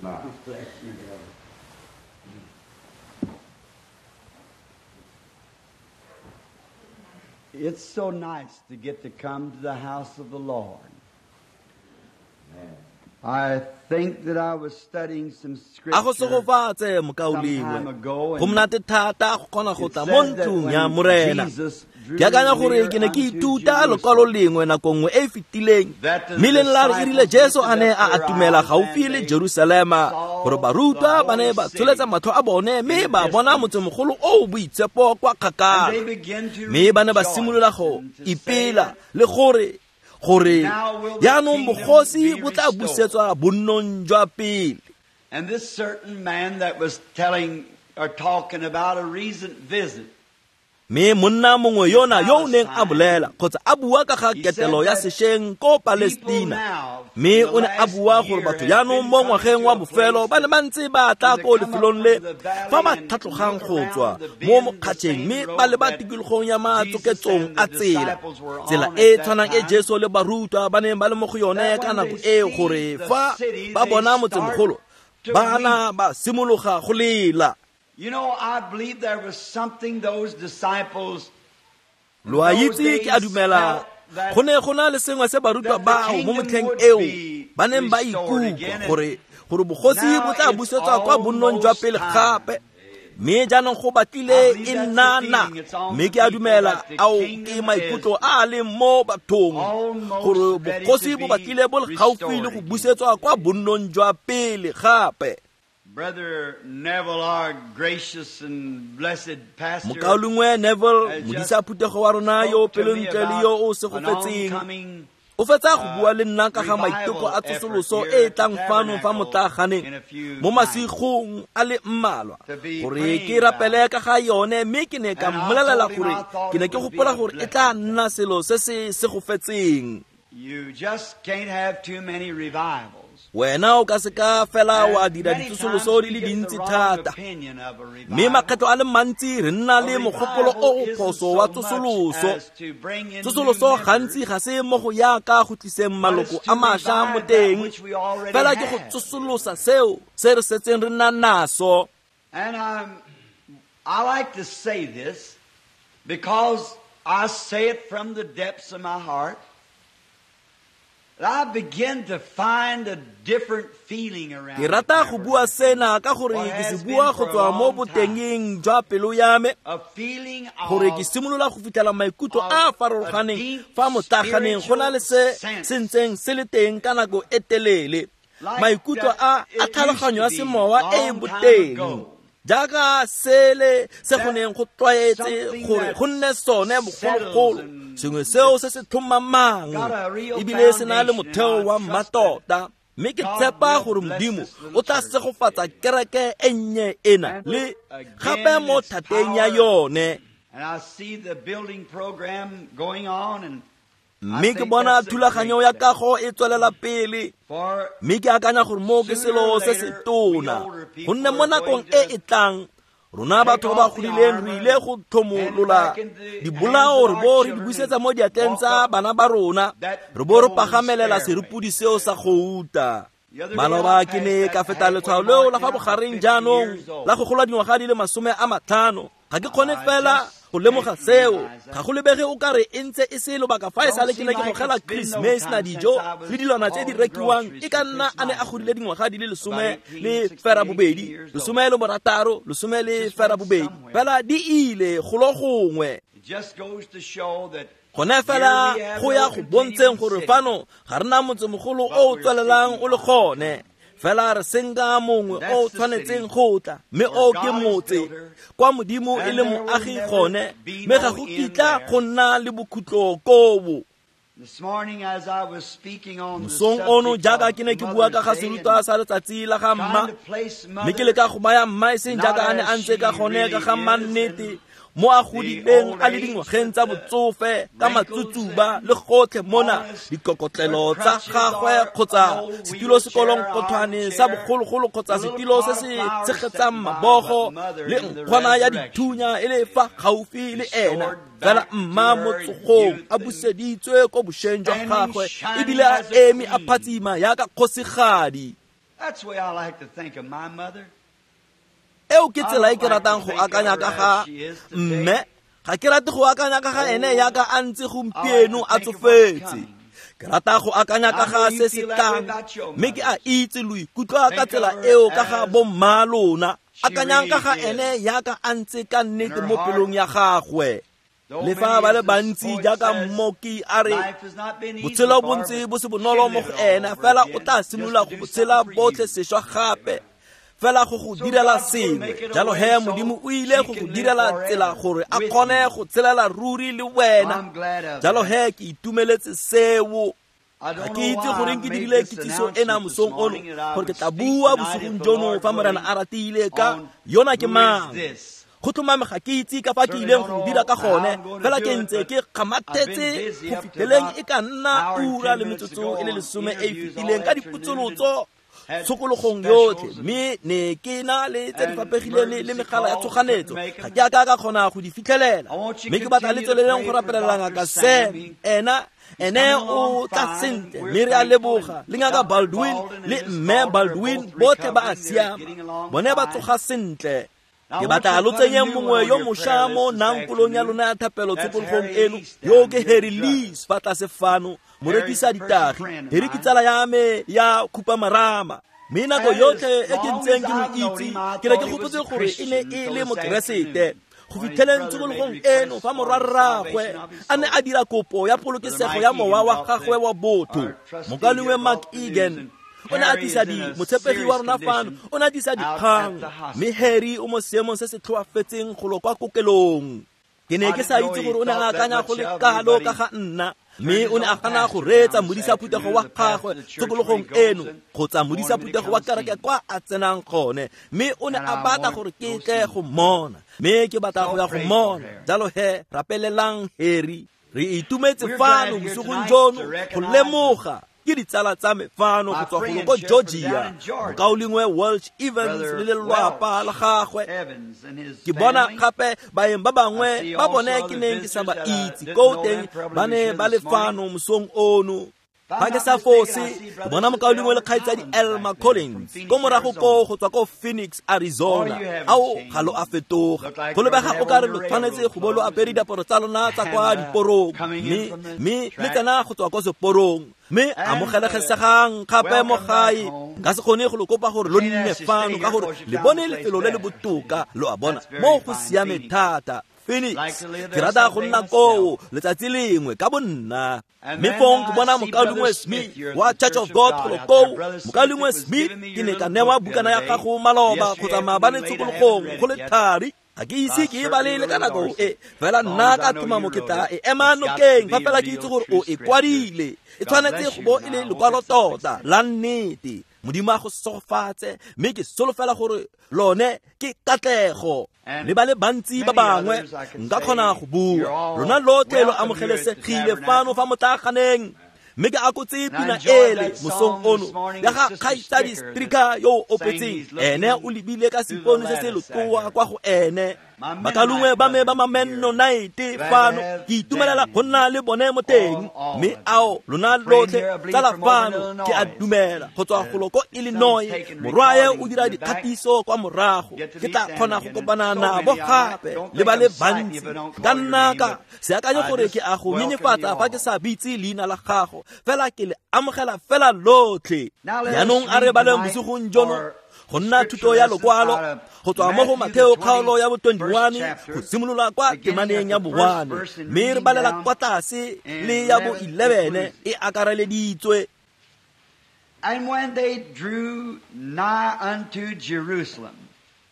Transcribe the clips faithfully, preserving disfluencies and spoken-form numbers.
Now. Bless you, brother. It's so nice to get to come to the house of the Lord. Amen. I think that I was studying some A go scripture segofatse some mokaulengwe. time ago, Go and monate thata go kgona go it tla mo says that ntlong ya when Morena. Jesus drew Ke akanya gore near ke ne ke unto ithuta lekwalo Jerusalem, lengwe nako nngwe e e fetileng that the mme leng la re e rile disciples Jesu a lifted ne up a their atumela eyes gaufi and le they Jerusalema saw gore the barutwa ba ne holy ba city tsholetsa matlho a bone in mme the ba bona distance. motsemogolo o o boitshepo kwa And kgakala. they began to Mme ba ne ba rejoice simolola go and to say ipela that le gore gore now will the jaanong kingdom bogosi be bo tla restored. busetswa bonnong jwa pele. And this certain man that was telling or talking about a recent visit, Mme monna mongwe in yona yo o neng a Palestine, bolela kgotsa a bua ka ga he said ketelo ya that sešweng ko people Palestina. now in Mme the o ne a last bua gore year batho has jaanong been mo coming ngwageng to wa a bofelo place ba ne that ba ntse ba tla when they ko come up lefelong from le the fa ba valley and tlhatlhogang look go tswa around the mo bend, the mokgatšheng same mme ba road leba that tikologong ya Jesus matsoketsong and the a tsela. disciples were Tsela on e at that tshwanang e time, Jesu le barutwa ba neng ba le mo go yone that ka when nako they eo see gore the fa city, ba they bona start motsemogolo to ba na weep. ba simologa go lela. You know, I believe there was something those disciples in Lo a those itse ke a days dumela felt that go ne go na le sengwe se barutwa that the bao mo kingdom motlheng would eo be ba neng ba restored ikutlwa again. And gore gore bogosi bo now tla it's busetswa kwa bonnong jwa almost pele time. gape. Mme jaanong go I batlile believe e that's the nna na feeling. It's on mme the ke a people dumela that the ao ke kingdom is maikutlo a a leng mo bathong gore almost ready bogosi to bo be batlile bo le gaufi restored le go again. busetswa kwa bonnong jwa pele gape. Brother Neville, our gracious and blessed pastor, Mokaulengwe Neville, has modisa just phuthego wa rona yo spoke to me pelontle le about yo o an segofetseng oncoming o fetsa go uh, bua le nna ka ga maiteko revival a effort tsosoloso here e e at the tlang fano fa tabernacle motlaaganeng in a few mo nights masigong a le mmalwa to be gore ke praying about rapele it. ka ga yone mme ke ne ka And I mmolelela told him gore I thought ke ne it ke would be gopola a gore e tla blessing. nna selo se se segofetseng. You just can't have too many revivals. Wena o ka se ka fela wa And dira many ditsosoloso times di we le get the dintsi wrong thata. opinion of a Mme revival. makgetlo a le mantsi re nna A le mogopolo revival o o isn't phoso wa so much tsosoloso. as to bring in new Tsosoloso gantsi members, ga se mo go yaka go tliseng but maloko it's a to mašwa mo revive that teng which we already fela ke go have. tsosolosa seo se re setseng re nna naso. And I'm, I like to say this because I say it from the depths of my heart. That I begin to find a different feeling around Ke the rata go bua tabernacle. sena ka gore What ke se has bua been go for a tswa mo long time. botengeng jwa pelo ya me A feeling gore ke of, simolola go fitlhela maikutlo a a of a farologaneng deep fa motlaaganeng go na spiritual le se se sense ntseng se le teng ka nako e telele. like Maikutlo that a a it used tlhaloganyo to ya be semowa e e long time boteng ago. jaaka sele se go That neng go tlwaetse something gore that go nne sone settles bogologolo and sengwe seo se it's se tlhomamang got a real ebile se na le foundation, and motheo I wa trust that mmatota. Mme ke God tshepa will gore bless Modimo this o little tla church. segofatsa kereke e nnye ena And le again gape in mo its thateng ya power, yone. and I see the building program going on, and I Mme ke think bona that's a thulaganyo great ya thing. kago e tswelela pele For mme ke akanya gore moo ke sooner selo or se se later, we tona older gonne people mo are nakong going e to e tlang rona take batho ba ba off the godileng re armor ile and go hand it tlhomolola back into the hands dibolao of re our bo re di children busetsa and mo diatleng walk tsa up bana ba rona that re bo re golden pagamelela stairway. serepodi seo sa gouta. The other day I Maloba ke passed ne that ka feta halfway letshwao leo mark la fa and I'm bogareng fifty jaanong years la old. go gola dingwaga di le masome a matlhano. Ga ke kgone I fela just go lemoga can't seo realize ga that. go lebege o kare e ntse e se lobaka fa e Don't sale ke seem ne ke like gogela it's been Chris no Mason time since dijo I le was dilwana tse di hauling rekiwang groceries e ka for nna Chris a ne a Meisner godile dingwaga di le about lesome eighteen, le sixteen, fera eighteen bobedi years old. lesome le borataro lesome It le just fera went bobedi somewhere. fela di ile golo gongwe. It just goes to show that Gone here fela we have go ya no go bontsheng continuing gore city, fano ga re na motsemogolo but o o we're tswelelang seeking o le one to gone come. fela re senka mongwe And o that's the tshwanetseng city go tla mme where o ke God is motse builder, kwa Modimo e and le there will moagi never gone be mme ga no go end kitla there. go nna le bokhutlo koo. This morning, as I was speaking on the Mosong ono subject jaaka of ke ne ke bua ka Mother's ga Day serutwa and sa letsatsi la ga mma trying to place mme ke mother leka go baya mma e seng not jaaka a ne a as ntse ka she gone ka really ga mma is nnete in mo a the godileng old a le age dingwageng with tsa the botsofe ka wrinkles matsutsuba and le gotlhe mona all this, her dikokotlelo tsa crutches gagwe are kgotsa an old setilo sekolong wheelchair, kgothwane sa armchair, bogologolo kgotsa the little setilo se pot of se flowers tshegetsang sitting by, but mabogo mother le in the nkgwana ya resurrection dithunya e le fa gaufi le ena restored fela back to mma mo her tsogong youth a and buseditswe ko bošweng jwa standing gagwe shining ebile a as a eme a queen. phatsima yaka kgosigadi. That's the way I like to think of my mother. Eo ke tsela e ke ratang go akanya ka ga mme, ga ke rate go akanya ka ga ene yaka a ntse gompieno a tsofetse. Ke rata go akanya ka ga se se tlang, mme ke a itse lo ikutlwa ka tsela eo ka ga bomma lona. Akanyang ka ga ene yaka a ntse ka nnete mo pelong ya gagwe. Le fa ba le bantsi jaaka mmoki a re botshelo bo ntse bo se bonolo mo go ena, fela o tla simolola go tshela botlhe sešwa gape, fela go go direla sengwe. Jalo he Modimo o ile go go direla tsela gore a kgone go tshelela ruri le wena. Jalo he ke itumeletse seo. Ga ke itse goreng ke dirile kitsiso ena mosong ono, gore ke tla bua bosigong jono fa Morena a ratile ka yona ke mang. Go tlhomame ga ke itse ka fa ke ileng go dira ka gone, fela ke ntse ke kgamathetse go fitlheleng e ka nna ura le metsotso e le lesome e e fetileng ka dipotsolotso tshokologong yotlhe, mme ne ke na le tse di fapegileng le megala ya tshoganetso. Ga ke a ka ka kgona go di fitlhelela, mme ke batla le tsweleleng go rapelela ngaka Sam. Ena ene o tla sentle, mme re a leboga. Le ngaka Baldwin le mme Baldwin botlhe ba a siama, bone ba tsoga sentle. Ke batla lo tsenyeng mongwe yo mošwa mo nankolong ya lona ya thapelo tshokologong eno, yo ke Harry Lees fa tlase fano, morekisa ditagi. Harry ke tsala ya me ya khupamarama, mme nako yotlhe e ke ntseng ke mo itse, ke ne ke gopotse gore e ne e le mokeresete. Go fitlheleng tshokologong eno fa morwarraagwe a ne a dira kopo ya polokesego ya mowa wa gagwe wa botho, mokalengwe Mark Egan o ne a tlisa di motshepegi wa rona fano, o ne a tlisa dikgang, mme Harry o mo seemong se se tlhoafetseng golo kwa kokelong. Ke ne ke sa itse gore o ne a akanya go le kalo ka ga nna, mme o ne a gana go reetsa modisa phuthego wa gagwe tshokologong eno kgotsa modisa phuthego wa kereke kwa a tsenang gone, mme o ne a batla gore ke tle go mmona, mme ke batla go ya go mmona. Jalo he rapelelang Harry. Re itumetse fano bosigong jono go lemoga ke ditsala tsa me fano go tswa golo ko Georgia, mokaulengwe Welch Evans le lelwapa la gagwe. Ke bona gape baeng ba bangwe ba bone ke neng ke sa ba itse ko teng, ba ne ba le fano mosong ono. Fa ke sa fose, ke bona mokaulengwe le kgaitsadi Elma Collins ko morago ko go tswa ko Phoenix, Arizona. Ao ga lo a fetoga, go lebega o kare lo tshwanetse go bo lo apere diaparo tsa lona tsa kwa diporong, mme mme le tsena go tswa ko seporong. Mme amogelesegang gape mo gae. Nka se kgone go lo kopa gore lo nne fano ka gore le bone lefelo le le botoka, lo a bona, mo go siame thata. Phoenix, ke rata go nna koo letsatsi lengwe ka bonna. Mme fong ke bona mokaulengwe Smith wa Church of God golo koo. Mokaulengwe Smith, ke ne ka newa bukana ya gago maloba kgotsa maabane tshokologong go le thari. Ga ke ise ke e bale le ka nako e, fela nna ka tlhomamo ke tla e ema nokeng fa fela ke itse gore o e kwadile. E tshwanetse go bo e le lekwalo tota la nnete. Modimo a go segofatse, mme ke solofela gore lone ke katlego. Le ba le bantsi ba bangwe nka kgona go bua, lona lotlhe lo amogelesegile fano fa motlaganeng. Mme ke akotse pina ele mosong ono ya ga kgaitsadi Stricker yo o opetseng. Ene o lebile ka seipone se se lotoa kwa go ene. Bakalungwe ba me ba ma-Mennonite fano, ke itumelela go nna le bone mo teng. Mme ao lona lotlhe tsala fano, ke a dumela go tswa golo ko Illinois, morwae o dira dikgatiso kwa morago. Ke tla kgona go kopana nabo gape le ba le bantsi. Ka nna ka se akanye gore ke a go nyenyefatsa fa ke sa bitse leina la gago, fela ke le amogela fela lotlhe. Jaanong a re baleng bosigong jono go nna thuto ya lokwalo go tswa mo go Matheo kgaolo ya bo twenty-one go simolola kwa temaneng ya bo one, mme re balela kwa tlase le ya bo eleven e akareleditswe. And when they drew nigh unto Jerusalem,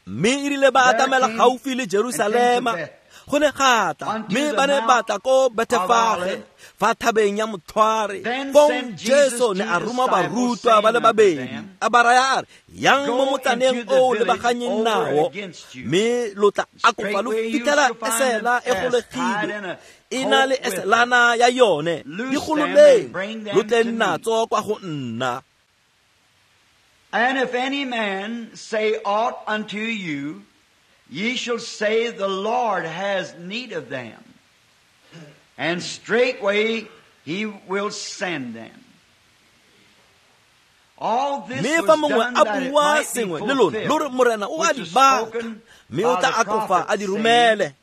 mme e rile ba atamela gaufi le Jerusalema, go ne ga tla mme ba ne ba tla ko Bethefage fa thabeng ya Motlhware. Fong Jesu ne a roma barutwa ba le babedi, a ba raya a re, yang mo motsaneng o lebaganyeng nao, mme lo tla akofa lo fitlhela esela e golegilwe, e na le eselana ya yone, di gololeng, lo tle natso kwa go nna. And if any man say aught unto you, ye shall say, the Lord has need of them. And straightway he will send them. Mme fa mongwe a bua sengwe le lona lo re Morena o a di batla, mme o tla akofa a di romele.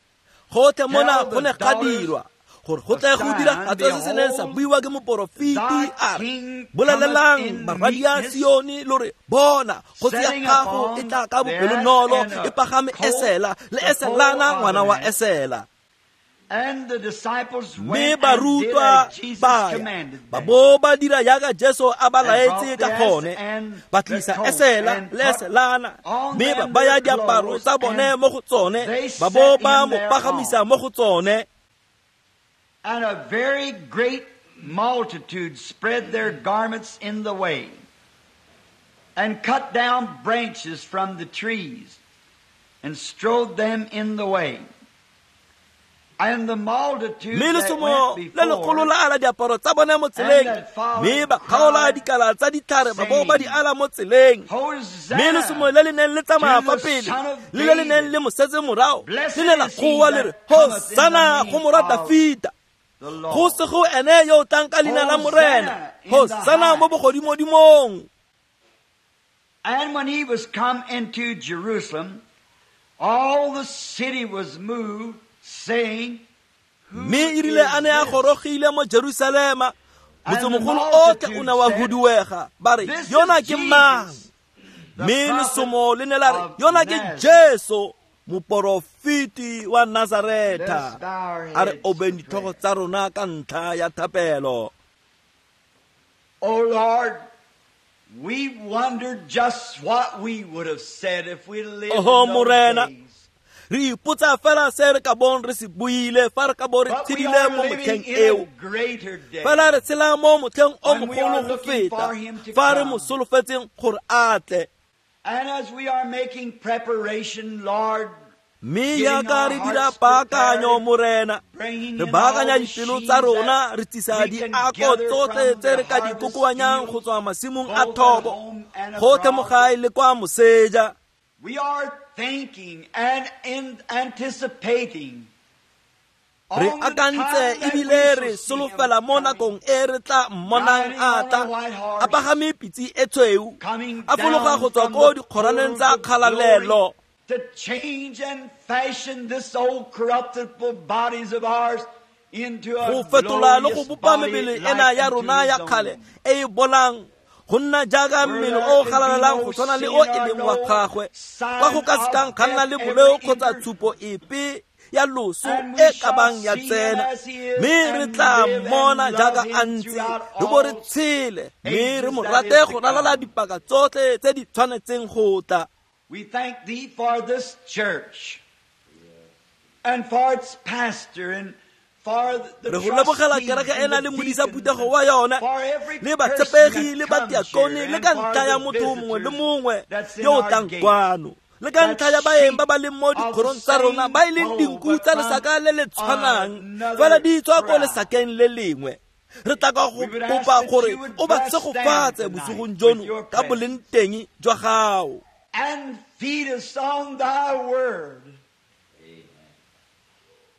Gotlhe mona go ne ga dirwa gore go tle go diragatse se se neng sa buiwa ke moporofeti a re, bolelelang barwadia Sione lo re, bona kgosi ya gago e tla ka bopelonolo e pagame esela le eselana ngwana wa esela. Mme barutwa ba ya ba bo ba dira jaaka Jesu a ba laetse ka gone, ba tlisa esela le eselana, mme ba baya diaparo tsa bone mo go tsone, ba bo ba mo pagamisa mo go tsone. And a very great multitude spread their garments in the way, and cut down branches from the trees, and strode them in the way. And the multitude Mme that lesomo went le legolo before la ala diaparo tsa bone mo tseleng, and that followed mme ba kgaola cried, dikala tsa ditlhare ba bo ba di saying, ala mo tseleng. Mme lesomo Hosanna le le neng le tsamaya to fa the pele Son of le le le neng David. le mo setse morago Blessed le ne la is he goa le re, that cometh in the Hosanna go name morwa of Dafita, the go Lord. se go ene yo o tlang ka leina la Morena, Hosanna in the Hosanna mo highest. bogodimodimong. And when he was come into Jerusalem, all the city was moved, saying, Who Mme e rile is a ne a this? gorogile mo Jerusalema, And the motsemogolo otlhe o multitude ne wa said, huduega, ba re, This yona is ke mang? Jesus, the Mme prophet lesomo le ne la re, of yona ke Nazareth. Jesu, moporofeti wa Let us Nazaretha. bow our A re heads obeng for ditlhogo prayer. tsa rona ka ntlha ya thapelo. O Lord, we wonder just what we would have said if we lived Oho in those Morena, days. re ipotsa fela se re ka bong re se buile fa re ka bo re But we tshedile are mo living motlheng in eo. a greater day Fela re tshela mo motlheng o when we are mogolo go looking feta for him to fa re mo come. solofetseng gore a tle. And as we are making preparation, Lord, Mme getting jaaka our re dira hearts paakanyo prepared, Morena, bringing re in all baakanya the dipelo sheaves tsa rona, that re tsisa we can diako gather tsotlhe from tse the re ka di harvest kokoanyang go fields, tswa masimong a both at thobo, home and gotlhe mo abroad. gae le kwa moseja. We are thinking and in anticipating Re on the akantse time that we ebile shall re see him solofela mo coming, nakong e re tla mmonang riding a on a tla, white a horse, pagame pitse e tshweu, coming a fologa down go tswa from ko the dikgoraneng portals tsa of glory kgalalelo, to change and fashion this old corruptible bodies of ours into go a fetola le go glorious bopa body mebele ena like ya unto rona his ya kgale own. e e bolang go nna jaaka Where mmele there o can be galalelang no go tshwana le sin o e or leng wa no gagwe, kwa go sign ka sekang of ga nna death le ever boleo kgotsa enter. tshupo epe ya loso And we e ka shall bang ya see him tsena. as he is Mme re and tla live mmona and love jaaka him a ntse, throughout re bo re all tshele, mme re ages mo that rate is to go ralala come. dipaka tsotlhe tse di tshwanetseng go tla. We thank thee for this church and for its pastor and for the Re go lebogela trustees kereke and ena the le modisa deacons phuthego and wa yona, for every le person batshepegi that le comes here batiakone le and ka for ntlha ya the motho mongwe le visitors mongwe that's in yo o our tlang gates, kwano, le ka that ntlha ya baeng sheep ba ba leng mo of the dikgorong tsa rona same ba e leng fold dinku but tsa from lesaka le le tshwanang, fela another di tswa ko tribe. lesakeng le lengwe. Re tla ka go We would ask kopa that gore you would o ba bless them tshegofatse tonight bosigong with jono your ka presence boleng teng jwa gago. and feed us on thy word,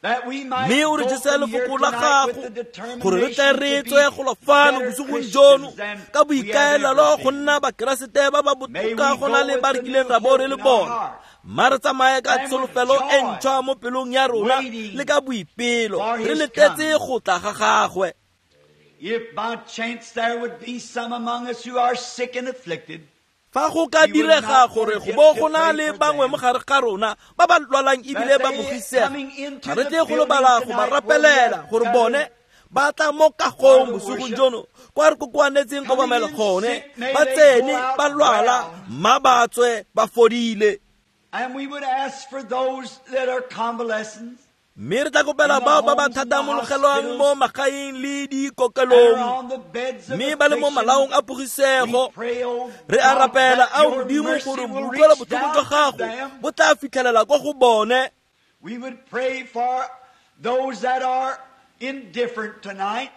that we might Mme o re go jese from here lefoko la tonight with gago the gore re tle determination re to tswe be golo fano better bosigong jono Christians than ka we have boikaelelo ever go been. nna bakeresete ba ba May botoka we go na go le with ba re the kileng new ra bo hope re le in our bona. heart Mma re tsamaye ka and with tsholofelo e joy, ntšhwa mo pelong ya rona le waiting ka boipelo, for re his letetse coming. go tla ga gagwe. If by chance there would be some among us who are sick and afflicted, Fa go ka we would direga not gore go forget bo to go na pray le for bangwe them mo gare ga rona ba ba lwalang ebile that ba they bogisega, coming into ga re the tle go building lebala go ba tonight where we rapelela have gore bone gathered ba tla mo for kagong the bosigong worship, jono kwa re kokoanetseng coming kobamelo in gone, sick, may ba they go tsene out ba lwala, well. mma ba tswe ba fodile. And we would ask for those that are convalescents Mme re tla kopela in the bao ba ba homes and the thathamologelwang mo hospitals magaeng le and are dikokelong, on the beds of mme ba le mo affliction. malaong a We pogisego. pray, oh Re a God, rapela that ao your Modimo mercy gore will boutlwelo reach botlhoko jwa down to gago them. bo tla fitlhelela kwa go bone. We would pray for those that are indifferent tonight,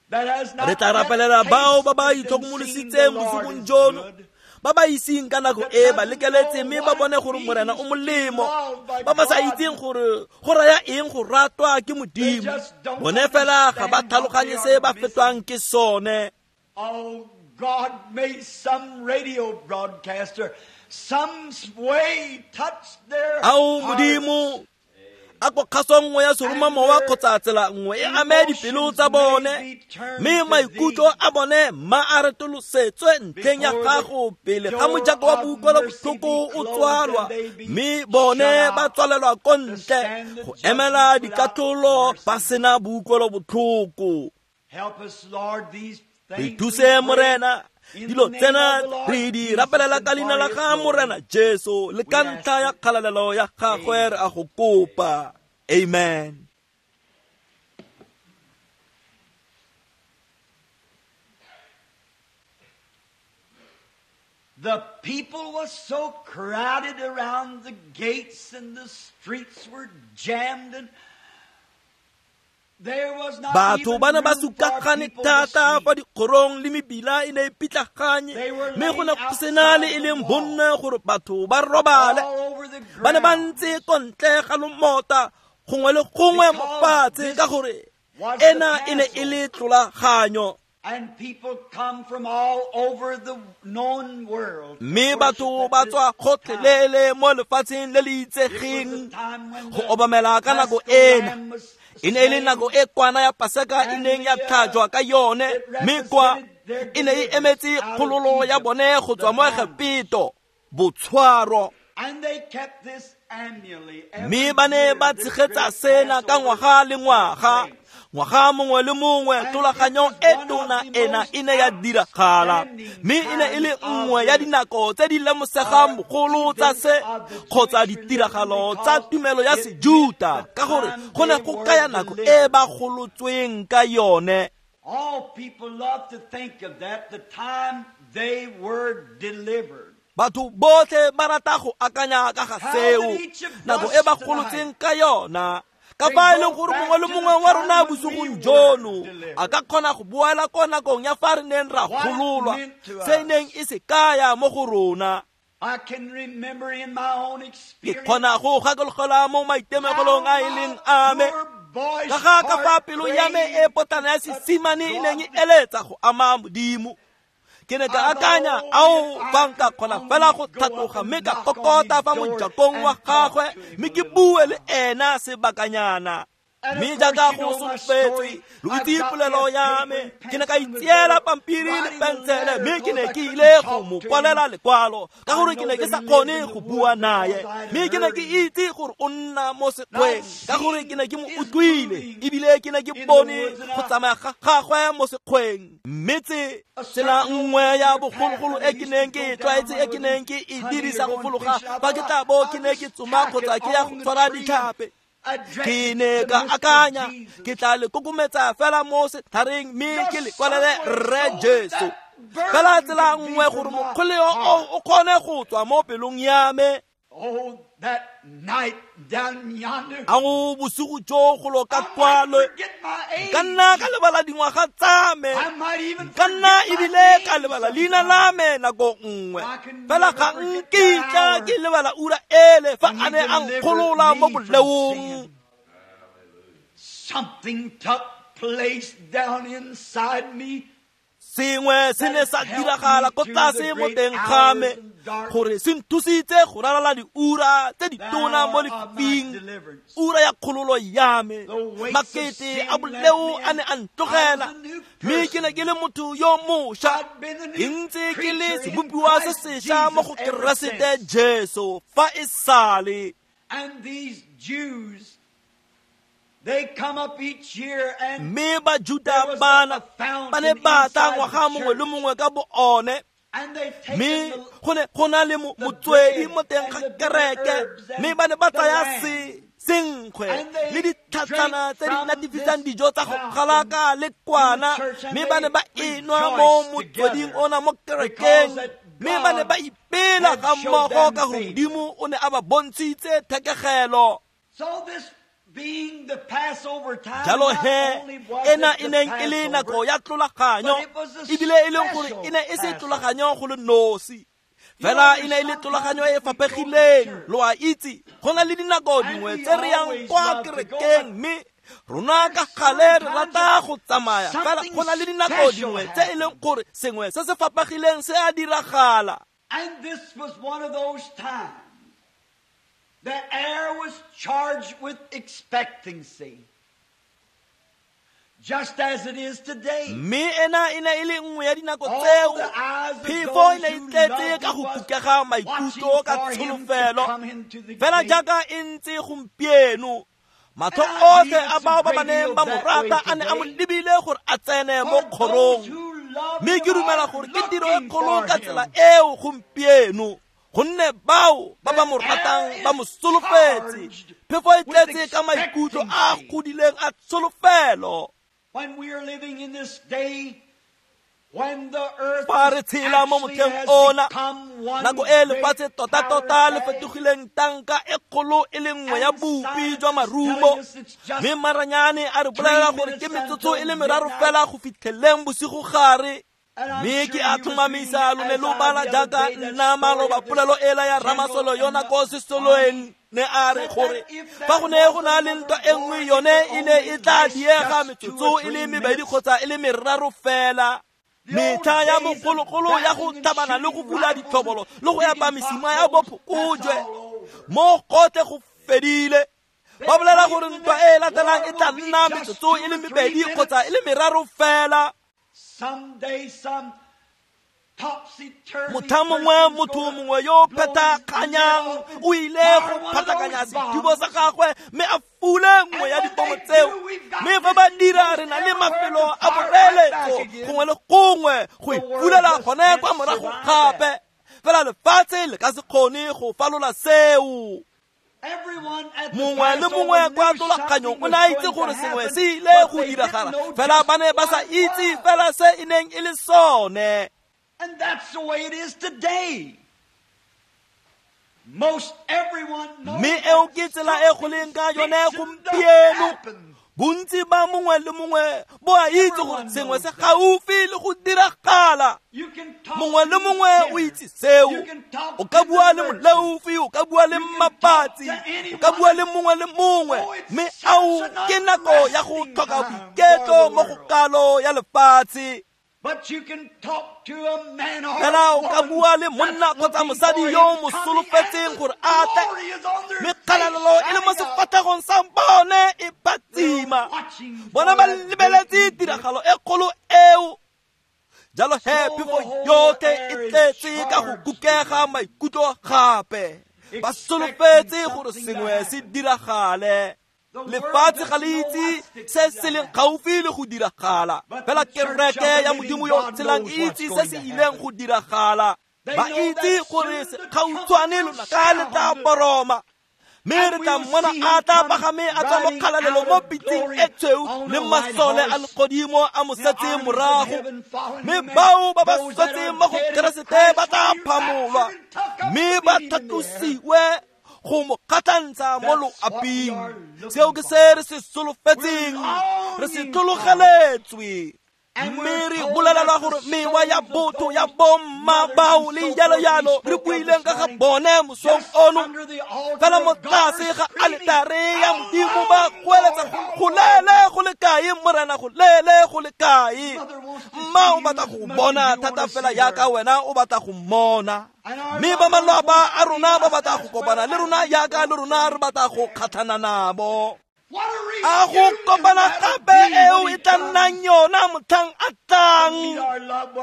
that has Re not tla yet rapelela bao ba ba tasted and seen the itlhokomolositseng Lord bosigong is jono, good, ba ba iseng ka nako that e ba doesn't lekeletse know mme ba what bone it gore Morena means o to be molemo, loved by ba ba sa God. itseng gore go raya eng go ratwa ke They Modimo. just don't Bone fela ga ba understand what they tlhaloganye se are ba missing. fetwang ke sone. Oh God, may some radio broadcaster some way touch their Ao hearts. Modimo, a ko kgaso nngwe ya seromamowa kgotsa tsela nngwe e ame dipelo tsa bone, mme maikutlo a bone ma a retolosetswe ntlheng ya gago pele ga mojako wa boutlwelobotlhoko o tswalwa, mme bone ba tswalelwa ko ntle go emela dikatlholo ba sena boutlwelobotlhoko. Help us, Lord, these Re things thuse we pray Morena, in dilo the name tsena of the Lord re di Jesus rapelela and ka leina for la his ga glory. Morena Jesu le ka We ask ntlha ya it. kgalalelo ya gagwe re a go kopa. Amen. The people was so crowded around the gates and the streets were jammed and there was not Batho even ba ne ba room for sukagane people to thata sleep. fa dikgorong le mebila e ne e pitlaganye, They were mme go laying ne go sena le e outside leng the wall, bonno gore batho ba robale. all over the Ba ne ba ground. ntse ko ntle ga lomota gongwe le gongwe mo Because fatshe this ka gore was the ena e ne e le tlolaganyo. And people come from all over the known world to Mme worship batho at ba this tswa time. gotlhelele mo lefatsheng le le It was the itsegeng time when go the obamela ka nako Paschal ena. Lamb was E ne e le slain, nako e kwana ya Paseka e and neng ya the, uh, tlhajwa ka yone, it mme kwa represented their e ne e deliverance emetse out of kgololo ya Egypt, bone go the tswa mo bondage. Egepeto, botshwaro. And they kept this annually, every Mme ba ne year, ba this tshegetsa great sena ka Passover ngwaga le took ngwaga. place. Ngwaga mongwe le mongwe And it tlolaganyo was e one of tona the ena most e ne ya diragala, outstanding mme e ne e le times of nngwe ya the dinako tse di lemosegang uh, bogolo tsa events se of the kgotsa Jewish religion ditiragalo tsa because tumelo ya it meant Sejuta, the ka gore time go ne they go were kaya nako e delivered. ba golotsweng ka yone. All people love to think of that, the time they were delivered. Batho botlhe ba rata go akanya ka ga How seo, that each of nako us e ba tonight golotsweng ka yona. Ka can fa e go leng gore back mongwe le to the mongwe wa rona time when we bosigong were jono delivered. a ka kgona go boela ko nakong ya fa re neng ra What it gololwa, meant to se e neng us. e se kaya mo go rona. I can remember in my own Ke experience kgona go gakologelwa mo maitemogelong how a e leng my a me, poor boyish ka ga ka fa heart pelo ya me prayed e potana ya to touch sesimane e God neng e with eletsa go ama Modimo. Ke ne ka I thought, akanya, oh, ao, if I fa nka could kgona fela only go go up tlhatloga and mme ka knock on kokota his fa door mojakong wa and talk gagwe to him mme a ke little bue le while. ena sebakanyana. And of Mme course, jaaka you go know my solofetswe, story. lo I've itse got me polelo a ya paper me, and ke ne ka pencil in the itseela drawer, pampiri le writing a pensele, letter mme ke because ne I ke couldn't ile go talk mo to him. kwalela lekwalo ka I gore ke know ne ke that sa he lived kgone in the go woods bua naye, because I had mme ke ne heard ke him. itse gore o nna mo And I'd sekgweng ka gore ke ne seen ke mo his utlwile moving ebile ke ne ke in the bone woods, and go I tsamaya ga gagwe mo sekgweng. Mme tse a tsela certain old nngwe ya familiar path bogologolo that I e ke used to neng ke go e down tlwaetse when I e ke was neng ke e hunting or dirisa go going fologa fishing. I fa ke thought tla bo I'd ke ne ke just tsoma tack it kgotsa ke ya on go the tshwara tree and ditlhape. address Ke it ne to ka Mister akanya Jesus. ke tla le kokometsa fela mo setlhareng mme ke le Just kwalele some way Rre so that Jesu. that Fela burden tsela could be nngwe from gore my mokgoleo heart. o o kgone go tswa mo pelong ya me. Oh, that night down yonder, Ao bosigo jo golo ka I might kwalo, forget my ka nna age. ka lebala dingwaga tsa me, I might even ka nna forget my ebile ka name lebala leina la sometime. me nako nngwe. I can Fela never ga forget that nkitla hour ke lebala ura ele fa when a he ne a delivered nkgolola mo me from boleong. sin. Something took place down inside me Sengwe se ne that sa helped diragala me ko through tlase the mo great teng ga hours me and dark gore se nthusitse go ralala diura tse the ditona mo hour of my lefifing, deliverance. ura ya kgololo ya me. The weights of Makete sin a left boleo me, a and ne a I was ntlogela, a new mme ke ne person. ke le motho yo mošwa, I'd been a ke new ntse ke le creature in sebopiwa se Christ sešwa mo Jesus go ever Keresete since. Jesu fa e sale. And these Jews, they come up each year and Mme Bajuta there was a, bana a ba ne fountain ba tla inside the ngwaga mongwe le church. mongwe ka bo one, And they've taken mme the, go ne go na le mo- the motswedi bread mo teng and ga the bitter kereke, herbs mme and ba ne ba the tsaya lamb. se senkgwe And le they ditlhatsana drank tse di from natefisang this dijo tsa go fountain galaka le in the kwana, church, and mme ba ne they ba enwa mo rejoiced motsweding together ona mo because kerekeng, that mme ba ne God ba ipela had ga showed mmogo them ka gore favor. Modimo o ne a ba bontshitse thekegelo. So this being the Passover time, Jalo not he only was ena it e the neng e le nako Passover, ya tlolaganyo, but it was a ebile e leng gore special e ne e se Passover. tlolaganyo go le nosi, You know, fela e there's ne e le sometimes tlolaganyo e we go to fapegileng. church Lo a itse, go na le dinako and dingwe we tse re yang always kwa love to go, kerekeng but mme Rona ka gale re rata go tsamaya, fela go na le dinako dingwe tse e leng gore sengwe se se fapagileng se a diragala. And this was one of those times. The air was charged with expectancy, just as it is today. Mme ena e ne e le nngwe ya dinako tseo phefo e ne e tletse ka go kukega maikutlo ka tsholofelo, fela jaaka e ntse gompieno. Matlho otlhe a bao ba ba neng ba mo rata a ne a mo lebile gore a tsene mo kgorong. Mme ke dumela gore ke tiro e kgolo ka tsela eo gompieno, gonne bao ba ba mo ratang ba mo solofetse. Phefo e tletse ka maikutlo a godileng a tsholofelo. When we are living in this day, when the earth Fa re tshela mo motlheng ona, nako e lefatshe tota-tota le fetogileng tanka e kgolo e le nngwe ya bopi jwa marumo, mme maranyane a re bolelela gore ke metsotso e le meraro fela go fitlheleng bosigo gare. Mme ke a tlhomamisa lo ne lo bala jaaka nna maloba polelo ela ya Ramasolo yona ko sesoloeng ne a re gore fa go ne go na le ntwa e nngwe yone e ne e tla diega metsotso e le mebedi kgotsa e le meraro fela. Metlha ya bogologolo ya go tlhabana le go bula ditlhobolo le go epa mesima ya bophokojwe mo gotlhe go fedile. Ba bolela gore ntwa e latelang e tla nna metsotso e le mebedi kgotsa e le meraro fela. Someday some topsy-turvy Motlha mongwe motho mongwe yo phetakganyang o ile go phatakanya sethubo sa gagwe mme a fule nngwe ya dipomo tseo. Mme fa ba dira re na le mafelo a boreletso gongwe le gongwe go ipulela gone kwa morago gape. Fela lefatshe le ka se kgone go falola seo. Mongwe le mongwe kwa tlolaganyong o ne a itse gore sengwe se ile go diragala, fela ba ne ba sa itse fela se e neng e le sone. And that's the way it is today. Most everyone knows Mme eo ke tsela e go leng ka yone gompieno. Bontsi ba mongwe le mongwe bo a itse gore sengwe se gaufi le go diragala. Mongwe le mongwe o itse seo. O ka bua le moleofi, o ka bua le mmapatsi, o ka bua le mongwe le mongwe. Mme ao ke nako ya go tlhoka boiketlo mo go kalo ya lefatshe. But you can talk to a man or Fela o ka bua le monna kgotsa mosadi yo mo solofetseng gore a tle, mme kgalalelo e le mo sefatlhegong sa bone e phatsima. Bona ba lebeletse tiragalo e kgolo eo. Jalo he phefo yotlhe e tletse ka go kukega maikutlo gape. Ba solofetse gore sengwe se diragale. Lefatshe ga le itse se se leng gaufi le go diragala, fela kereke ya Modimo yo tshelang e itse se se ileng go diragala. Ba itse gore gautshwane lonaka le tla boroma, mme re tla mmona a tla pagame a tswa mo kgalalelo mo pitseng e tshweu le masole a legodimo a mo setse morago. Mme bao ba ba swetseng mo go Keresete ba tla phamolwa, mme ba tlhatlosiwe go mo kgatlhantsha mo loaping. Seo ke se re se solofetseng, re se tlologeletswe. Mme re bolelelwa gore mewa ya botho ya bomma bao le jalo-jalo re buileng ka ga bone mosong ono, fela mo tlase ga aletare ya Modimo ba goeletsa go lele go le kae Morena, go lele go le kae. Mma o batla go bona thata fela jaaka wena o batla go mmona. Mme ba malapa a rona ba batla go kopana le rona jaaka le rona re batla go kgatlhana nabo. A go kopana gape eo e tla nnang yona motlhang a tlang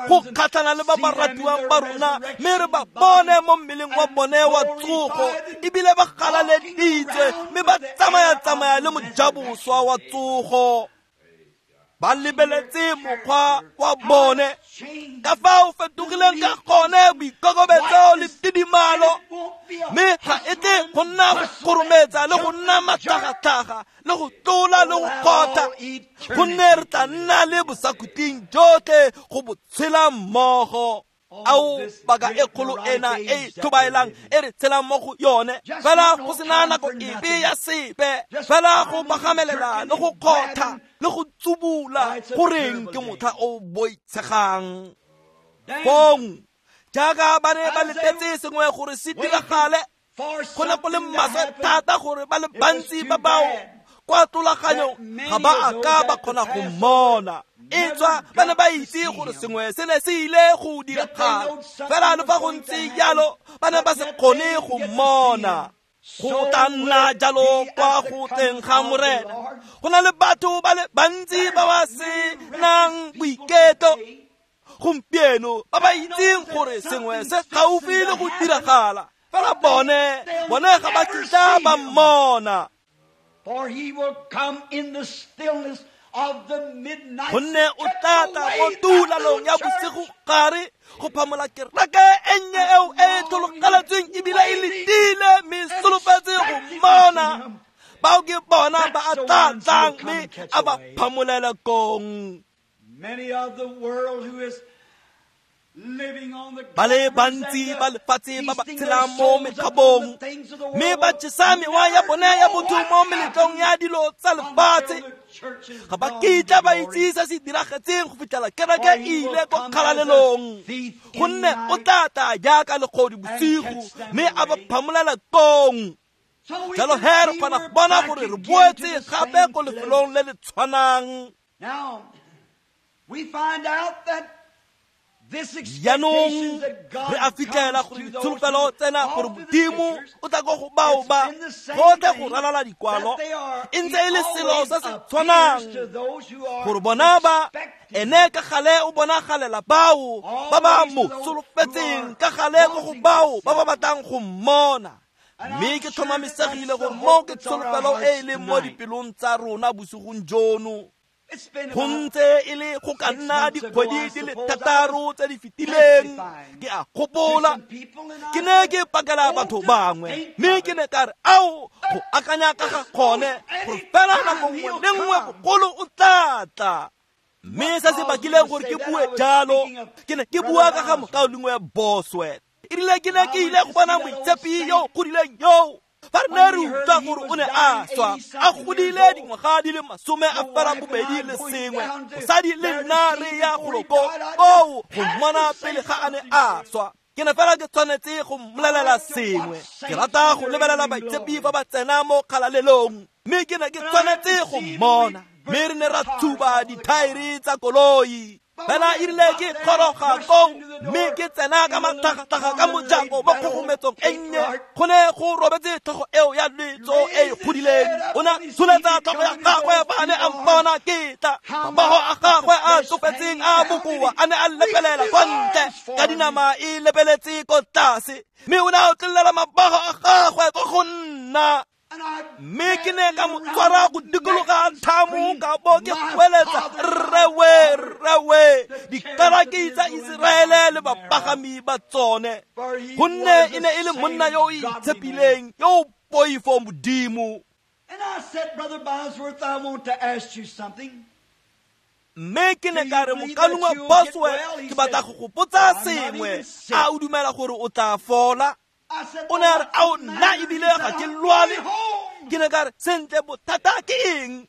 go kgatlhana le ba ba ratiwang ba rona, mme re ba bone mo mmeleng wa bone wa tsogo, ebile ba galaleditswe mme ba tsamaya-tsamaya le mojaboswa wa tsogo. Ba lebeletse mokgwa wa bone ka fa o fetogileng ka gone, boikokobetso le tidimalo, mme ga e tle go nna go kgorometsa le go nna matlhagatlhaga le go tlola le go kgotha, gonne re tla nna le bosakhutleng jotlhe go bo tshela mmogo. Ao baka e kgolo ena e tlhobaelang e re tshelang mo go yone, fela go sena nako epe ya sepe, fela go pagamelela le go kgotha le go tsubula, goreng ke motlha o boitshegang. Fong jaaka ba ne ba letetse sengwe gore se diragale, go ne go le maswe thata gore ba le bantsi ba bao kwa tlolaganyong ga ba a ka ba kgona go mmona. E tswa ba ne ba itse gore sengwe se ne se ile go diragala, fela le fa go ntse jalo ba ne ba se kgone go mmona. Go tla nna jalo kwa go tleng ga Morena. Go na le batho ba le bantsi ba ba se nang boiketlo gompieno, ba ba itseng gore sengwe se gaufi le go diragala, fela bone bone ga ba kitla ba mmona. For he will come in the stillness of the midnight. Gonne o tla tla mo tulalong ya bosigo gare go phamola kereke e nnye eo e tlhologeletsweng ebile e letile mme solofetse go mmona. Bao ke bona ba a tla tlang mme a ba phamolela kong. Many of the world who is living on the Ba le bantsi ba lefatshe ba ba tshelang mo mekgabong mme ba jesa mewa ya bone ya botho mo meletlong ya dilo tsa lefatshe, ga ba kitla ba itse se se diragetseng go fitlhela kereke e ile ko kgalalelong. Gonne o tla tla jaaka legodu bosigo mme a ba phamolela kong. Jalo he re kgona go bona gore re boetse gape ko lefelong le le tshwanang. Now we find out that this Jaanong expectation that God re a fitlhela comes gore to those ditsholofelo who tsena all gore through the Modimo scriptures, o tla ko go bao it's ba been the same gotlhe go thing ralala dikwalo, that they are, e ntse he e le selo always se se appears tshwanang to those who are gore bona ba expecting ene ka gale o bonagalela bao ba ba Always mo to those who solofetseng, are ka gale ko go wanting to bao see ba ba batlang go mmona. And Mme I'm ke sure that tlhomamisegile that's gore the mo hope ke that's on our tsholofelo e hearts leng mo tonight. dipelong tsa rona bosigong jono. It's been Go about ntse e le go ka six nna months ago, dikgwedi I di le suppose I thataro was tse di fetileng, testifying ke a to gopola some people and I ke ne said, ke pakela oh, batho to bangwe, think mme of ke it. ne ka re ao go akanya ka ga gone gore fela nako Anytime nngwe he'll le nngwe come. bogolo o tla tla. Mme What se se caused me bakileng to gore say ke that? bue I was jalo, speaking of ke ne ke Brother bua ka ga Bosworth. mokaulengwe Bosworth. E rile ke ne I ke went ile to go see bona that old moitshepi yo saint godileng yo. Fa re ne when re we heard utlwa he gore was o ne dying, a swa, eighty a something years godile old. dingwaga di le masome a The fela wife and bobedi I le going sengwe, down to mosadi le there to nna see re him ya before golo he ko died. I koo just go had mmona to say pele ga a ne something a to him. swa. Ke ne fela ke tshwanetse go I mmolelela like to sengwe. watch Ke saints rata when go they're lebelela entering baitshepi glory. fa ba tsena mo kgalalelong, mme ke ne ke And I had tshwanetse to go see him when we mmona. Mme burnt re ne the ra tires thuba off the car. dithaere tsa koloi. But Fela when e we rile got ke there and goroga rushed koo, into the mme door ke tsena ka in the little matlhagatlhaga ka corner mojako laid mo that old kgogometsong e cape nnye, rart. go ne go robetse tlhogo eo ya letso e e Raised his godileng. head up O ne a when he seen tsholetsa me tlhogo ya coming, his gagwe old fa a ne a feeble arms. mpona ke tla. How Mabogo my a gagwe a flesh tsofetseng hanging a down, and bokoa he a ne a reached lepelela his kwa ntle arms ka for me. dinama e lebeletse ko tlase, mme o ne a otlolela mabogo a gagwe ko go nna. And I Mme ke grabbed ne ka him mo around tshwara go the neck dikologa and thamo screamed, ka bo ke My goeletsa, father, my Rrewe, father, rrewe, the chariots of dikaraki tsa Israel and the Iseraele le horses thereof. bapagami ba tsone. For he Gonne was e the ne e le monna same yo o godly man. itshepileng, yo o poifo Modimo. And I said, Brother Bosworth, I want to ask you something. Mme ke Do ne ka you re believe that mokaulengwe you'll get Bosworth, well? He ke batla said, go go botsa I'm not sengwe. even sick. A o dumela gore o tla fola? I said, O ne a well, re, what's ao the nna matter? He ebile said, ga ke I'm lwale. going home. Ke ne ka re, sentle bothata ke eng?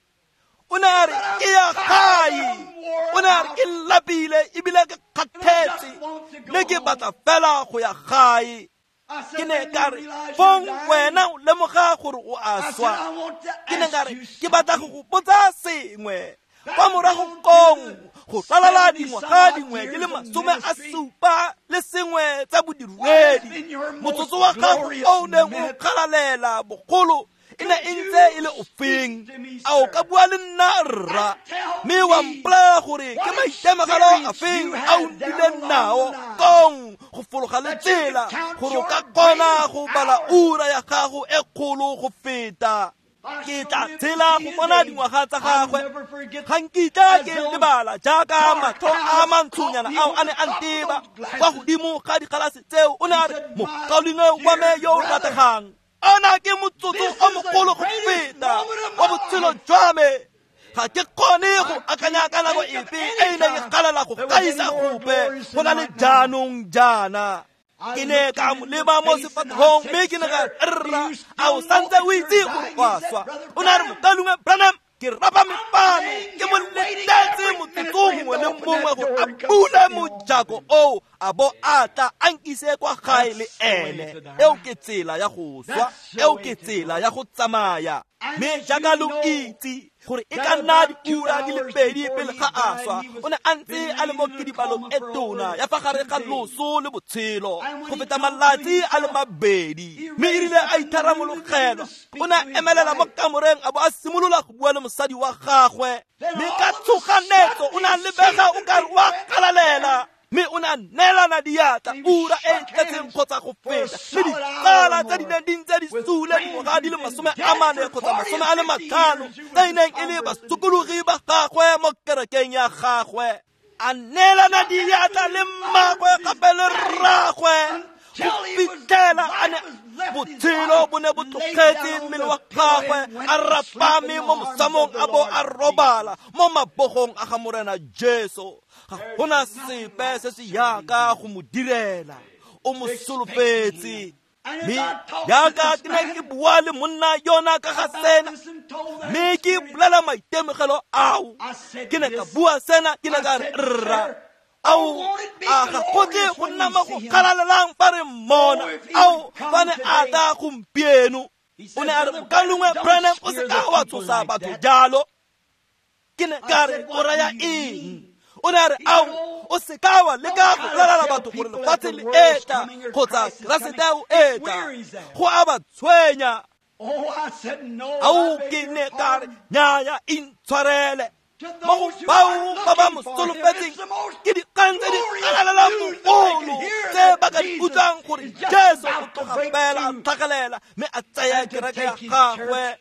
O ne a re, But I'm ke ya tired. gae. I'm wore O ne a re, out. ke lapile ebile ke And I kgathetse, just want to go mme ke home. batla fela go ya gae. I Ke said, ne then ka you re, realize you're fong dying? wena o lemoga gore o a I said, swa. I want to Ke ne ka ask re, you ke batla go something. go botsa sengwe. Kwa Back morago down to kong the go ralala seventy some dingwaga odd dingwe di years le of masome a ministry, supa le sengwe tsa what has bodiredi, been your most motsotso wa gago glorious o o neng o minute? kgalalela bogolo e ne Could e ntse e you le ofeng? speak to me, A o ka sir, bua le nna rra, and tell mme wa me mpolelela gore ke what maitemogelo a experience feng you a o had down nnileng along the nao line kong go fologa le that you could tsela count gore o your ka kgona greatest go bala hour? ura ya gago e kgolo go feta. I Ke shall tla live to tshela see go his bona age. dingwaga tsa I'll gagwe. never forget Ga nkitla as ke those lebala jaaka dark matlho a eyes caught mantshonyana me ao over a ne the a top of nteba those kwa glasses. godimo ga digalase tseo. O ne He a re, said, My mokaulengwe wa me dear yo o brother, rategang, ana ke motsotso this o is the mogolo go greatest feta moment of wa my botshelo life. jwa me. Ga ke kgone go I akanya can't ka nako think of epe e any e neng e time galela go that was any gaisa more gope glorious go than na le right now. jaanong jaana. I Ke ne looked ka him mo in the leba mo face and I sefatlhegong said, mme ke ne ka Sir, re, do rra, you a still o know santse that o you're itse gore dying? o He a said, swa? Brother O ne a re, Branham, mokaulengwe Branham, ke rapa I'm mefano, laying ke mo here waiting letetse every minute motsotso for him mongwe to le open mongwe that gore door a and come bule sit me home with mojako him. oo a bo a tla a nkise kwa gae le ene. Eo ke tsela ya go swa, eo ke tsela ya go tsamaya. Mme jaaka lo itse gore e ka nna diura di le pedi pele ga a swa, o ne a ntse a le mo kidibalong e tona ya fa gare ga loso le botshelo go feta malatsi a le mabedi. Mme erile a itharamologelwa, o ne a emelela mo kamoreng a bo a simolola go bua le mosadi wa gagwe. Mme ka tshoganetso o ne a lebega o ka re o a galalela, mme o ne a neelana diatla ura e e tletseng kgotsa go feta le ditsala tse di neng di ntse di sule dingwaga di le masome a mane kgotsa masome a le matlhano tse e neng e le basokologi ba gagwe mo kerekeng ya gagwe. A neelana diatla le mmagwe gape le rragwe go fitlhela a ne botshelo bo ne bo tlogetse mmele wa gagwe, a rapame mo mosamong a bo a robala mo mabogong a ga Morena Jesu. Ga gona sepe se se yaka go mo direla, o mo solofetse. Mme jaaka ke ne ke bua le monna yona ka ga sena, mme ke bolela maitemogelo ao, ke ne ka bua sena, ke ne ka re rra, ao a ga go tle go nna mo go galalelang fa re mmona, ao fa ne a tla gompieno. O ne a re, mokaulengwe Branham, o se ka wa tshosa batho jalo. Ke ne ka re, o raya eng? O ne a re, ao o se ka wa leka go bolelela batho gore lefatshe le etla kgotsa Keresete o etla, go a ba tshwenya. Ao ke ne ka re, nnyaya, intshwarele. Mo go bao ba ba mo solofetseng ke dikgang tse di galalelang bogolo tse ba ka di utlwang gore Jesu o tloga fela a tlhagelela mme a tsaya kereke ya gagwe.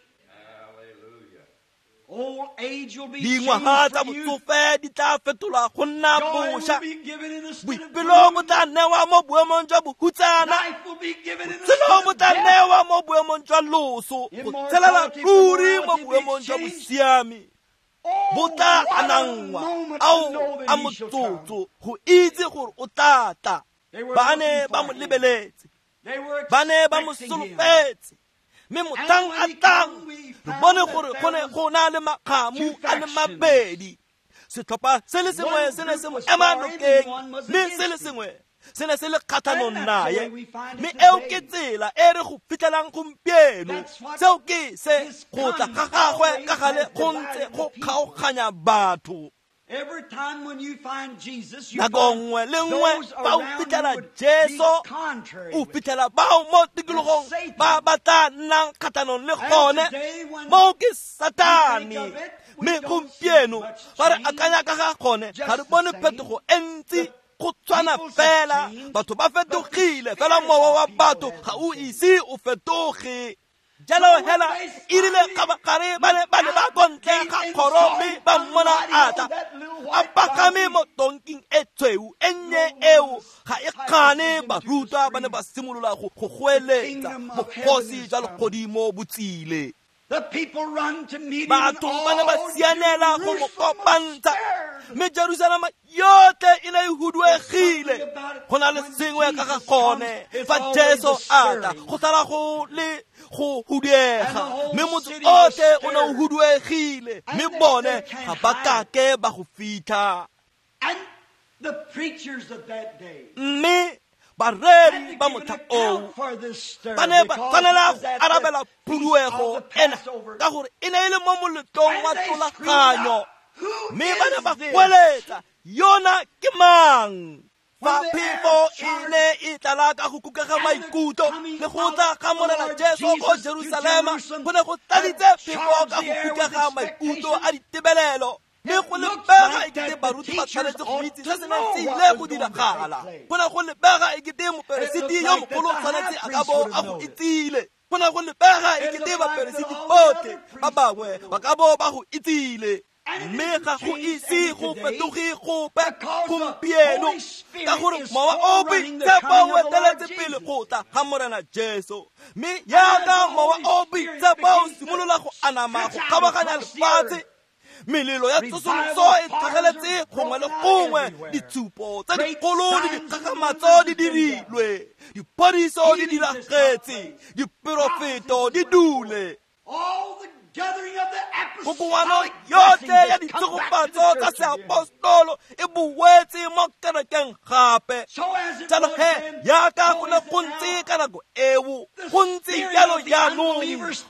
Dingwaga tsa botsofe di tla fetolwa go nna bošwa, boipelo bo tla newa mo boemong jwa bohutsana, botshelo bo tla newa mo boemong jwa loso, go tshelela ruri mo boemong jwa bosiami bo tla anangwa. Ao a motsotso go itse gore o tla tla. Ba ne ba mo lebeletse, ba ne ba mo solofetse, mme motlhang a tlang re bone gore go ne go na le makgamu a le mabedi. Setlhopha se le sengwe se ne se mo ema nokeng, mme se le sengwe se ne se le kgatlhanong naye. Mme eo ke tsela e re go fitlhelang gompieno. Seo ke se go tla ga gagwe ka gale go ntse go kgaoganya batho. Nako nngwe le nngwe fa o fitlhela Jesu, o fitlhela bao mo tikologong ba ba tla nnang kgatlhanong le gone, moo ke Satane. Mme gompieno fa re akanya ka ga gone, ga re bone phetogo e ntsi, go tshwana fela. Batho ba fetogile fela, mowa wa batho ga o ise o fetoge. Jalo hela erile kgabagare ba ne ba leba ko ntle ga kgoro mme ba mmona a tla a pagame mo tonking e tshweu e nnye eo ga e kgane. Barutwa ba ne ba simolola go goeletsa, bogosi jwa legodimo bo tsile. Batho ba ne ba sianela go mo kopantsha, mme Jerusalema yotlhe e ne e huduegile. Go na le sengwe ka ga gone fa Jesu a tla, go sala go le go huduega, mme motse otlhe o ne o huduegile, mme bone ga ba kake ba go fitlha. Mme bareri ba motlha oo ba ne ba tshwanela go arabela phuduego ena ka gore e ne e le mo moletlong wa tlolaganyo, mme ba ne ba goeletsa, yona ke mang? Fa phefo e ne e tlala ka go kukega maikutlo le go tla ga Morena Jesu ko Jerusalema, go ne go tladitse phefo ka go kukega maikutlo a ditebelelo. Mme go lebega ekete baruti ba tshwanetse go itse se se neng se ile go diragala. Go ne go lebega ekete moperesiti yo mogolo o tshwanetse a ka bo a go itsile. Go ne go lebega ekete baperesiti botlhe ba bangwe ba ka bo ba go itsile. Mme ga go ise go fetoge gope gompieno, ka gore mowa o boitshepo o eteletse pele go tla ga Morena Jesu. Mme jaaka mowa o boitshepo o simolola go anama go kgabaganya lefatshe, melelo ya tsosoloso e tlhageletse gongwe le gongwe, ditshupo tse dikgolo le dikgakgamatso di dirilwe, diphodiso di diragetse, diperofeto di dule. Kokoano yotlhe ya ditshegofatso tsa seapostolo e boetse mo kerekeng gape. Jalo he yaka go ne go ntse ka nako eo, go ntse jalo jaanong.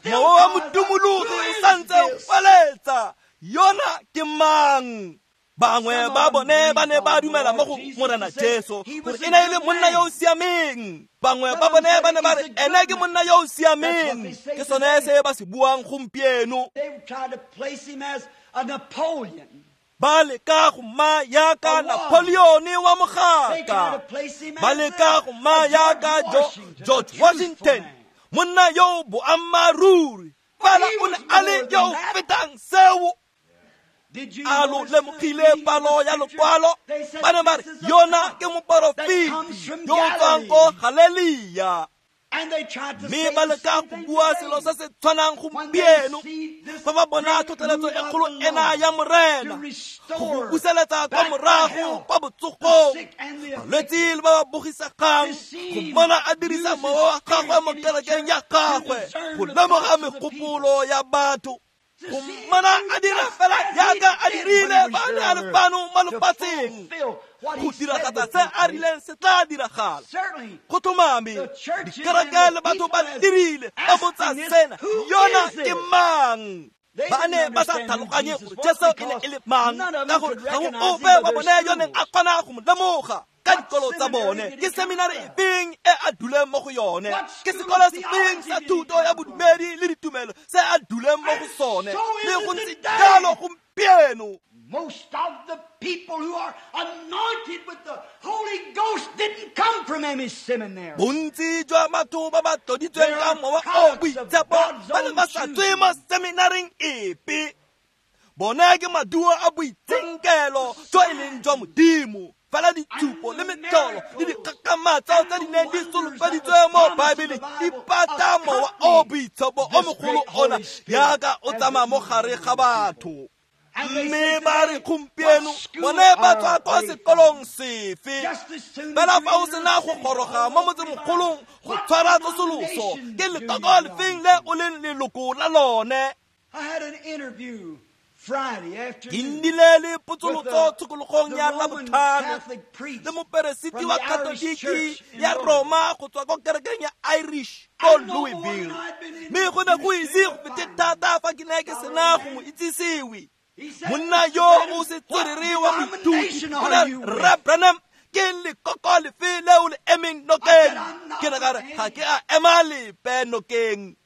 Mowa wa modumologi o santse o kwaletsa, yona ke mang? Bangwe ba bone ba ne ba dumela mo go Morena Jesu gore e ne e le monna yo o siameng. Bangwe ba bone ba ne ba re ene ke monna yo o siameng. Ke sone se ba se buang gompieno. Ba leka go ma yaka Napoleon wa mogaka. Ba leka go ma yaka George Washington, monna yo boammaaruri. Fela o ne a le yo o fetang seo. A lo lemogile palo ya lokwalo? Ba ne ba re yona ke moporofeti yo o tswang ko Galelia. Mme ba leka go bua selo se se tshwanang gompieno fa ba bona tlhotlheletso e kgolo ena ya Morena go go buseletsa kwa morago kwa botsogong, balwetse le ba ba bogisegang, go mmona a dirisa mowa wa gagwe mo kerekeng ya gagwe go lemoga megopolo ya batho, go mmona a dira fela jaaka a dirile fa a ne a le fano mo lefatsheng, go diragatsa se a rileng se tla diragala. Go tlhomame dikereke le batho ba dirile ba botsa sena, yona ke mang? Ba ne ba sa tlhaloganye gore Jesu e ne e le mang, ka gore ga go ope wa bone yo neng a kgona go mo lemoga ka dikolo tsa bone. Ke seminari efeng e a duleng mo go yone? Ke sekolo sefeng sa thuto ya bodumedi le ditumelo se a duleng mo go sone? Le go ntse jalo gompieno. Most of the people who are anointed with the Holy Ghost didn't come from any seminary. Bontsi jwa batho ba ba tloditsweng ka mowa o boitshepo ba ne ba sa tswe mo seminaring epe. Bone ke maduo a boitshenkelo jo e leng jwa Modimo. Fela ditshupo le metlholo le dikgakgamatso tse di neng di solofeditswe mo Baebeleng di pata mowa o boitshepo o mogolo ona jaaka o tsamaya mo gare ga batho. Mme ba re gompieno bone ba tswa kwa sekolong sefe? Fela fa o sena go goroga mo motsemogolong go tshwara tsosoloso, ke lekoko lefeng le o leng leloko la lone? Ke nnile le potsolotso tshokologong ya Labotlhano le moperesiti wa Katoliki ya Roma go tswa ko kerekeng ya Irish ko Louisville. Mme go ne go ise go fete thata fa ke ne ke sena go mo itsisiwe. Monna yo o setswerere wa moithuti o ne Rre Branham, ke lekoko lefe le o le emeng nokeng? Ke ne ka re ga ke a ema lepe nokeng.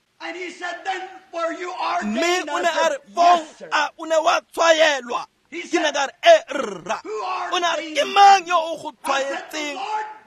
Mme o ne a re fong a o ne wa tshwaelwa? Ke ne ka re e rra. O ne a re ke mang yo o go tshwaetseng?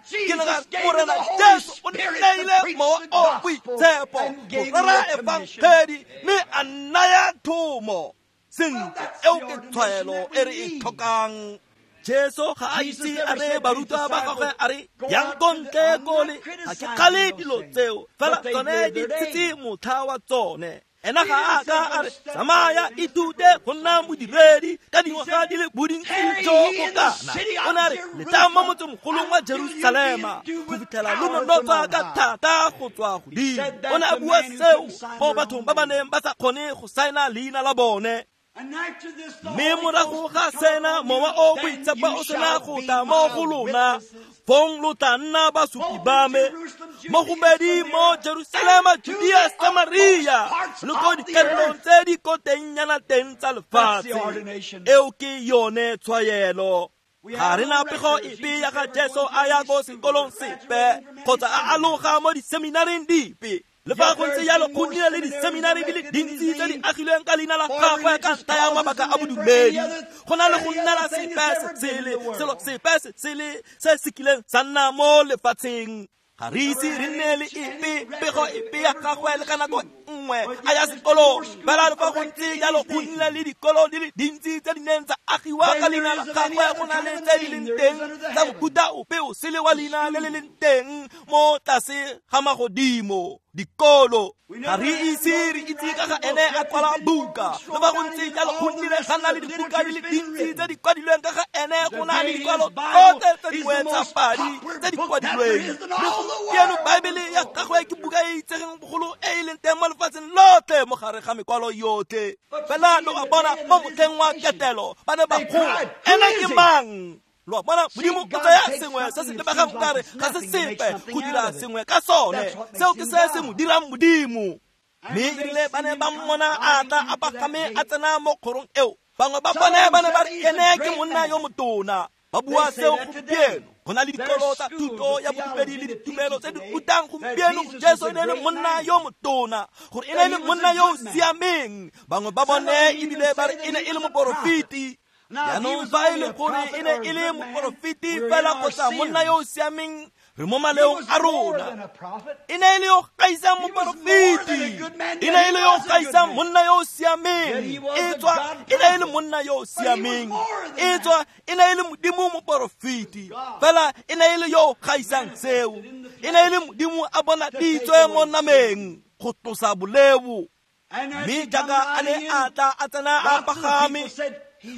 Ke ne ka re Morena Jesu o nneile mowa o boitshepo go rera efangedi mme a nnaya thomo. Sentle, eo ke tshwaelo e re e tlhokang. Jesu ga a itse a re barutwa ba gagwe a re yang ko ntle kole, ga ke kgale dilo tseo, fela tsone di tshetse motlha wa tsone. Ena ga a ka a re tsamaya ithute go nna modiredi ka dingwaga di le bodintsi jo bo kana. O ne a re letang mo motsemogolong wa Jerusalema go fitlhela lo nonotswa ka thata go tswa godimo. O ne a bua seo mo bathong ba ba neng ba sa kgone go saena leina la bone. Mme morago ga sena mowa o boitshepo o sena go tla mo go lona, fong lo tla nna basupi ba me mo go bedi mo Jerusalema, Judea, Samaria le ko dikarolong tse di ko tengnyana teng tsa lefatshe. Eo ke yone tshwaelo. Ga re na pego epe ya ga Jesu a ya ko sekolong sepe kgotsa a aloga mo diseminaring dipe. Le fa go ntse jalo go nnile le diseminari di le dintsi tse di agilweng ka leina la gagwe ka ntlha ya mabaka a bodumedi. Go na le go nnela sepe se sele, selo sepe se sele se se kileng sa nna mo lefatsheng. Ga re ise re nne le epe pego epe ya gagwe le ka nako nngwe a ya sekolong. Fela le fa go ntse jalo go nnile le dikolo di le dintsi tse di neng tsa agiwa ka leina la gagwe, go na le tse di leng teng tsa mofuta ope o sele wa leina le le leng teng mo tlase ga magodimo. Dikolo ga re ise re itse ka ga ene a kwala buka le ba go ntse jalo go nnile ga nna le dibuka di le dintsi tse di kwadilweng ka ga ene go na le dikwalo tsotlhe tse dingwe tsa padi tse di kwadilweng mme gompieno Baebele ya gagwe ke buka e itsegeng bogolo e e leng teng mo lefatsheng lotlhe mo gare ga mekwalo yotlhe fela lo a bona mo motlheng wa ketelo ba ne ba goa ene ke mang. Lo a bona Modimo o tsaya sengwe se se lebegang kare ga se sepe go dira sengwe ka sone seo ke se se mo dirang Modimo. Mme erile ba ne ba mmona a tla a pagame a tsena mo kgorong eo bangwe ba bone ba ne ba re ene ke monna yo motona. Ba bua seo gompieno go na le dikolo tsa thuto ya bodumedi le ditumelo tse di rutang gompieno Jesu e ne e le monna yo motona gore e ne e le monna yo o siameng. Bangwe ba bone ebile ba re e ne e le moporofeti. Jaanong fa e le gore e ne e le moporofeti fela kgotsa monna yo o siameng re mo maleong a rona. E ne e le yo gaisang moporofeti, e ne e le yo gaisang monna yo o siameng, e tswa e ne e le monna yo o siameng, e tswa e ne e le Modimo moporofeti fela e ne e le yo gaisang seo, e ne e le Modimo a bonaditswe mo nameng go tlosa boleo. Mme jaaka a ne a tla a tsena a pagame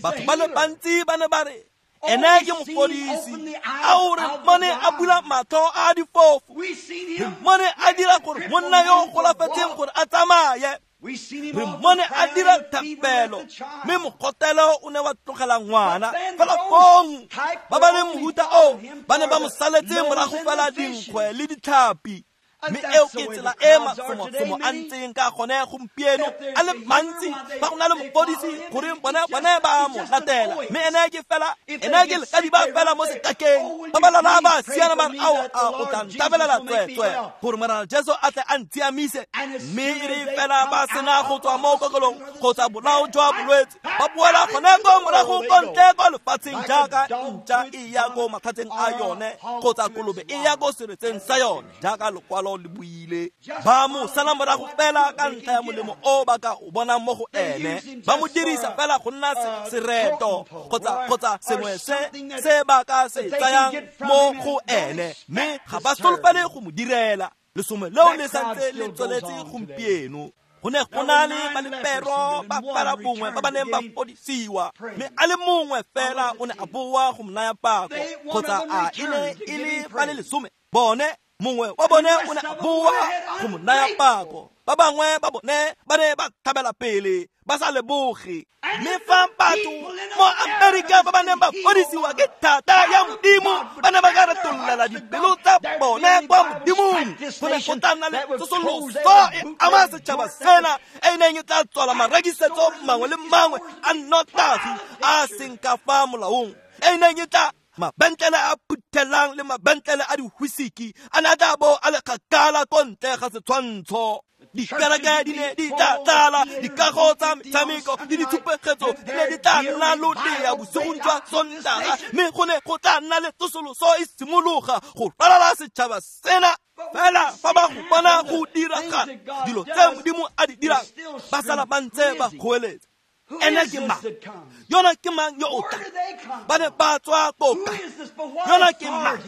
batho ba le bantsi ba ne ba re ene ke mofodisi ao re mmone a bula matlho a difofu, re mmone a dira gore monna yo o golafetseng gore a tsamaye, re mmone a dira thapelo mme mogotelo o ne wa tlogela ngwana. Fela fong ba ba leng mohuta oo ba ne ba mo saletse morago fela dinkgwe le ditlhapi. Mme eo ke tsela e masomosomo a ntseng ka gone gompieno a le mantsi fa go na le mofodisi goreng bone bone ba mo latela mme ene ke fela ene ke lekadiba fela mo sekakeng ba ba lala ba siana ba re ao a o tla ntabelela tsweetswe gore Morena Jesu a tle a ntshiamise. Mme e re fela ba sena go tswa mo kokelong kgotsa bolao jwa bolwetse ba boela gone ko morago ko ntle kwa lefatsheng jaaka ntša e ya ko matlhatseng a yone kgotsa kolobe e ya ko seretseng sa yone jaaka lekwalo le buile. Ba mo sala morago fela ka ntlha ya molemo o ba ka o bonang mo go ene, ba mo dirisa fela go nna sereto kgotsa kgotsa sengwe se se ba ka se tsayang mo go ene mme ga ba solofele go mo direla. Lesome leo le santse le tsweletse gompieno. Go ne go na le balepero ba fela bongwe ba ba neng ba fodisiwa mme a le mongwe fela o ne a boa go mo naya pako kgotsa a e ne e le ba le lesome bone mongwe wa bone o ne a boa go mo naya pako, ba bangwe ba bone ba ne ba thabela pele ba sa leboge. Mme fa batho mo Amerika ba ba neng ba fodisiwa ke thata ya Modimo ba ne ba ka retololela dipelo tsa bone kwa Modimong, go ne go tla nna le tsosoloso e ama setšhaba sena e neng e tla tswala marekisetso mangwe le mangwe a nnotagi a seng ka fa molaong, e neng e tla mabentlele a phuthelang le mabentlele a diwhisiki a ne a tla bo a le kgakala ko ntle ga setshwantsho. Dikereke di ne di tla tlala, dikago tsa metshameko le ditshupegetso di ne di tla nna lodea bosigong jwa Sontaga mme go ne go tla nna le tsosoloso e simologa go ralala setšhaba sena. Fela fa ba go bona go diragala dilo tse Modimo a di dirang ba sala ba ntse ba goeletsa ene ke mang, yona ke mang yo o tla, ba ne ba tswa ko kae, yona ke mang,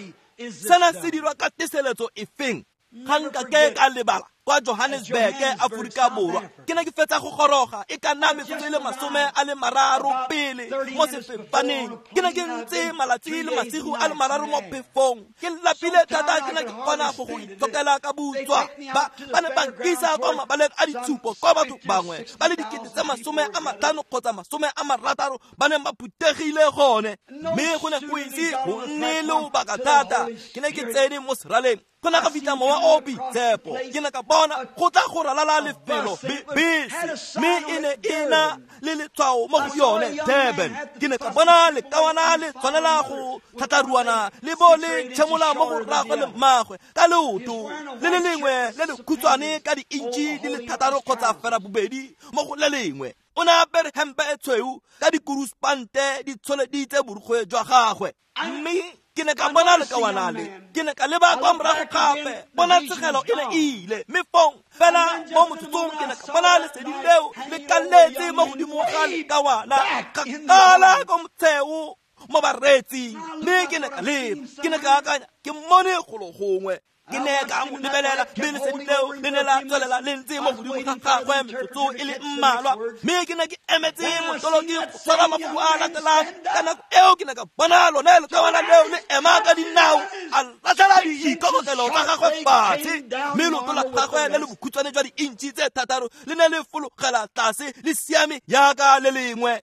sena se dirwa ka teseletso efeng. Ga nka ke ka lebala kwa Johannesburg Aforika Borwa ke ne ke fetsa go goroga e ka nna metsotso e le masome a le mararo pele mo sefofaneng. Ke ne ke ntse malatsi le masigo a le mararo mo phefong ke lapile thata ke ne ke kgona go go itsokela ka butswa. Ba ba ne ba nkisa kwa mabaleng a ditshupo kwa batho bangwe ba le dikete tse masome a matlhano kgotsa masome a marataro ba neng ba phuthegile gone mme go ne go ise go nne lobaka thata ke ne ke tsene mo seraleng go ne ga fitlha mowa o boitshepo ke ne ka bona go tla go ralala lefelo bese mme e ne e na le letshwao mo go yone Durban. Ke ne ka bona lekawana le tshwanela go tlhatlharuana le bo le tšhemola mo go rraagwe le mmagwe ka leoto le le lengwe le le khutshwane ka di-intšhi di le thataro kgotsa fera bobedi mo go le lengwe. O ne a apere hempe e tshweu ka dikuruspante di tsholeditse borukgwe jwa gagwe mme ke ne ka bona lekawana le ke ne ka leba kwa morago gape bona tshegelo e ne e ile mme fong fela mo motsotsong ke ne ka bona lesedi leo le kaletse mo godimo ga lekawana kgakala ko motsheo mo bareetsing. Mme ke ne ka leba, ke ne ka akanya ke mmone golo gongwe. Ke ne ka mo lebelela, mme lesedi leo le ne la tswelela le ntse mo godimo ga gagwe metsotso e le mmalwa. Mme ke ne ke emetse motoloki go tshwara mafoko a latelang. Ka nako eo ke ne ka bona lone lekawana leo le ema ka dinao, a latlhela diikokotlelo tsa gagwe fatshe, mme leoto la gagwe le le bokhutshwane jwa diintšhi tse thataro le ne le fologela tlase le siame jaaka le lengwe.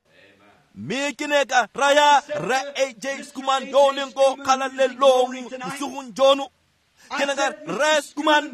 Mme ke ne ka raya Rre A J Schoeman yo o leng ko kgalalelong bosigong jono. Ke ne ka re, Rre Schoeman,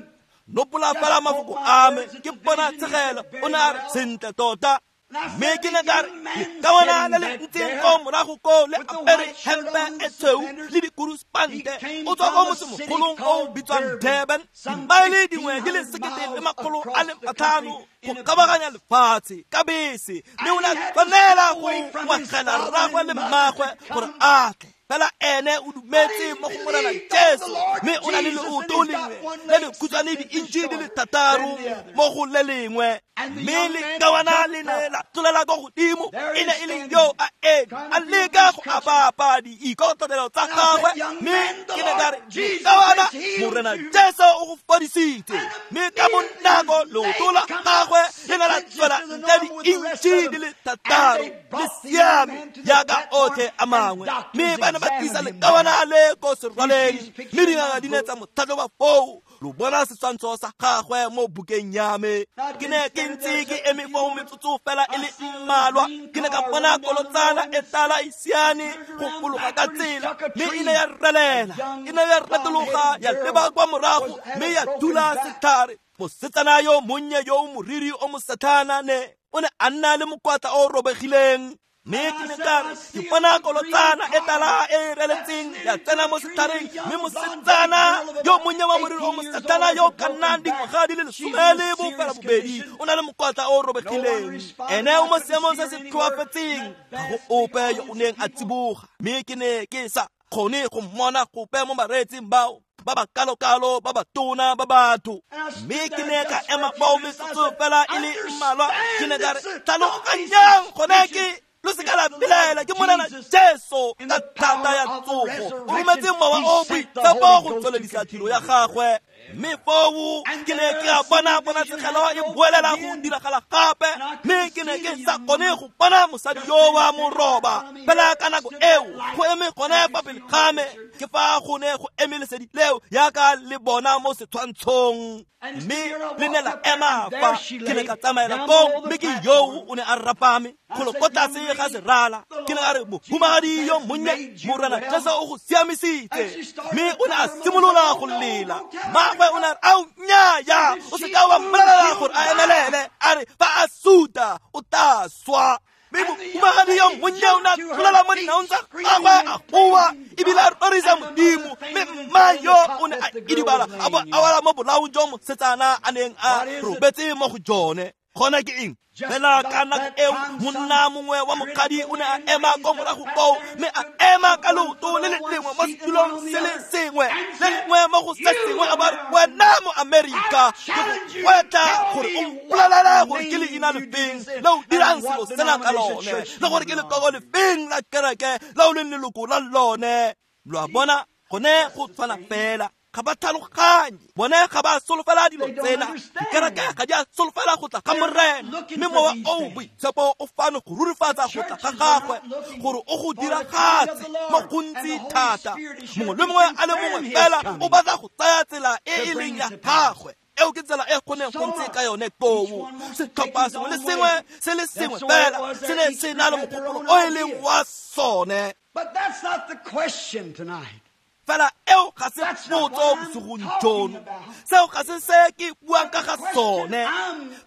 nopola fela mafoko a me, ke bona tshegelo. O ne a re, sentle tota. Mme ke ne ka re, lekawana le le ntseng ko morago koo le apere hempe e tshweu le dikuruspante, o tswa ko motsemogolong o o bitswang Durban, dimaele dingwe di le sekete le makgolo a le matlhano go kabaganya lefatshe ka bese, mme o ne a tshwanela go ngwagela rragwe le mmagwe gore a tle. Fela ene o dumetse mo go Morena Jesu, mme o na le leoto lengwe le le khutshwane diintšhi di le thataro mo go le lengwe. Mme lekawana le ne la tlolela ko godimo, e ne e le yo a eme a leka go apapa diikokotlelo tsa gagwe. Mme ke ne ka re, lekawana, Morena Jesu o go fodisitse. Mme ka bonako leoto la gagwe le ne la tswela ntle diintšhi di le thataro le siame jaaka otlhe a mangwe. Mme ba ne ba tlisa lekawana le ko serwaleng, mme dingaka di ne tsa mo tlhatlhoba foo. Lo bona setshwantsho sa gagwe mo bukeng ya me. Ke ne ke ntse ke eme foo metsotso fela e le mmalwa, ke ne ka bona kolotsana e tala e siane go fologa ka tsela, mme e ne ya relela, e ne ya retologa ya leba kwa morago, mme ya thula setlhare. Mosetsana yo monnye yo o moriri o mosetlhana ne o ne a nna le mokwatla o robegileng. Mme ke ne ka re, ke bona kolotsana e tala e reletseng ya tsena mo setlhareng, mme mosetsana yo monnye wa moriri o mosetlhana yo ka nnang dingwaga di le lesome le bofela bobedi o na le mokwatla o robegileng. Ene o mo seemong se se tlhoafetseng, ga go ope yo o neng a tsiboga. Mme ke ne ke sa kgone go mmona gope mo bareetsing bao ba ba kalokalo ba ba tona ba batho. Mme ke ne ka ema fao metsotso fela e le mmalwa, ke ne ka re, tlhaloganyang gone ke lo se ka la belaela, ke Morena Jesu ka thata ya tsogo o rometse mowa o boitshepo go tsweledisa tiro ya gagwe. Mme foo ke ne ke a bona ponatshegelo e boelela go diragala gape, mme ke ne ke sa kgone go bona mosadi yo wa moroba. Fela ka nako eo go eme gone fa pele ga me, ke fa go ne go eme lesedi leo jaaka le bona mo setshwantshong, mme le ne la ema fa. Ke ne ka tsamaela koo, mme ke yoo o ne a rapame golo ko tlase ga serala. Ke ne ka re, mohumagadi yo monnye, Morena Jesu o go siamisitse. Mme o ne a simolola go lela. Mmagwe o ne a re, ao nnyaya, o se ka wa mmolelela gore a emelele, a re fa a suta o tla swa. Mme mohumagadi yo monnye o ne a tlolela mo dinaong tsa gagwe a goa ebile a rorisa Modimo. Mme mma yo o ne a idibala a bo a wela mo bolaong jo mosetsana a neng a robetse mo go jone. Gona ke eng? Fela ka nako eo monna mongwe wa mokgadi o ne a ema ko morago koo, mme a ema ka leoto le le lengwe mo setulong se le sengwe, le lengwe mo go se sengwe, a ba re, wena mo Amerika, ke go gwetla gore o mpolelele gore ke leina lefeng le o dirang selo sena ka lone, le gore ke lekoko lefeng la kereke le o leng leloko la lone. Lo a bona, gone go tshwana fela. Ga ba tlhaloganye, bone ga ba solofela dilo tsena. Dikereke ga di a solofela go tla ga Morena, mme mowa o boitshepo o fano go rurifatsa go tla ga gagwe gore o go diragatse mo gontsi thata. Mongwe le mongwe a le mongwe fela o batla go tsaya tsela e e leng ya gagwe. Eo ke tsela e go neng go ntse ka yone koo. Setlhopha sengwe le sengwe se le sengwe fela se ne se na le mogopolo o e leng wa sone. But that's not the question tonight. Fela eo ga se potso bosigong jono, seo ga se se ke buang ka ga sone.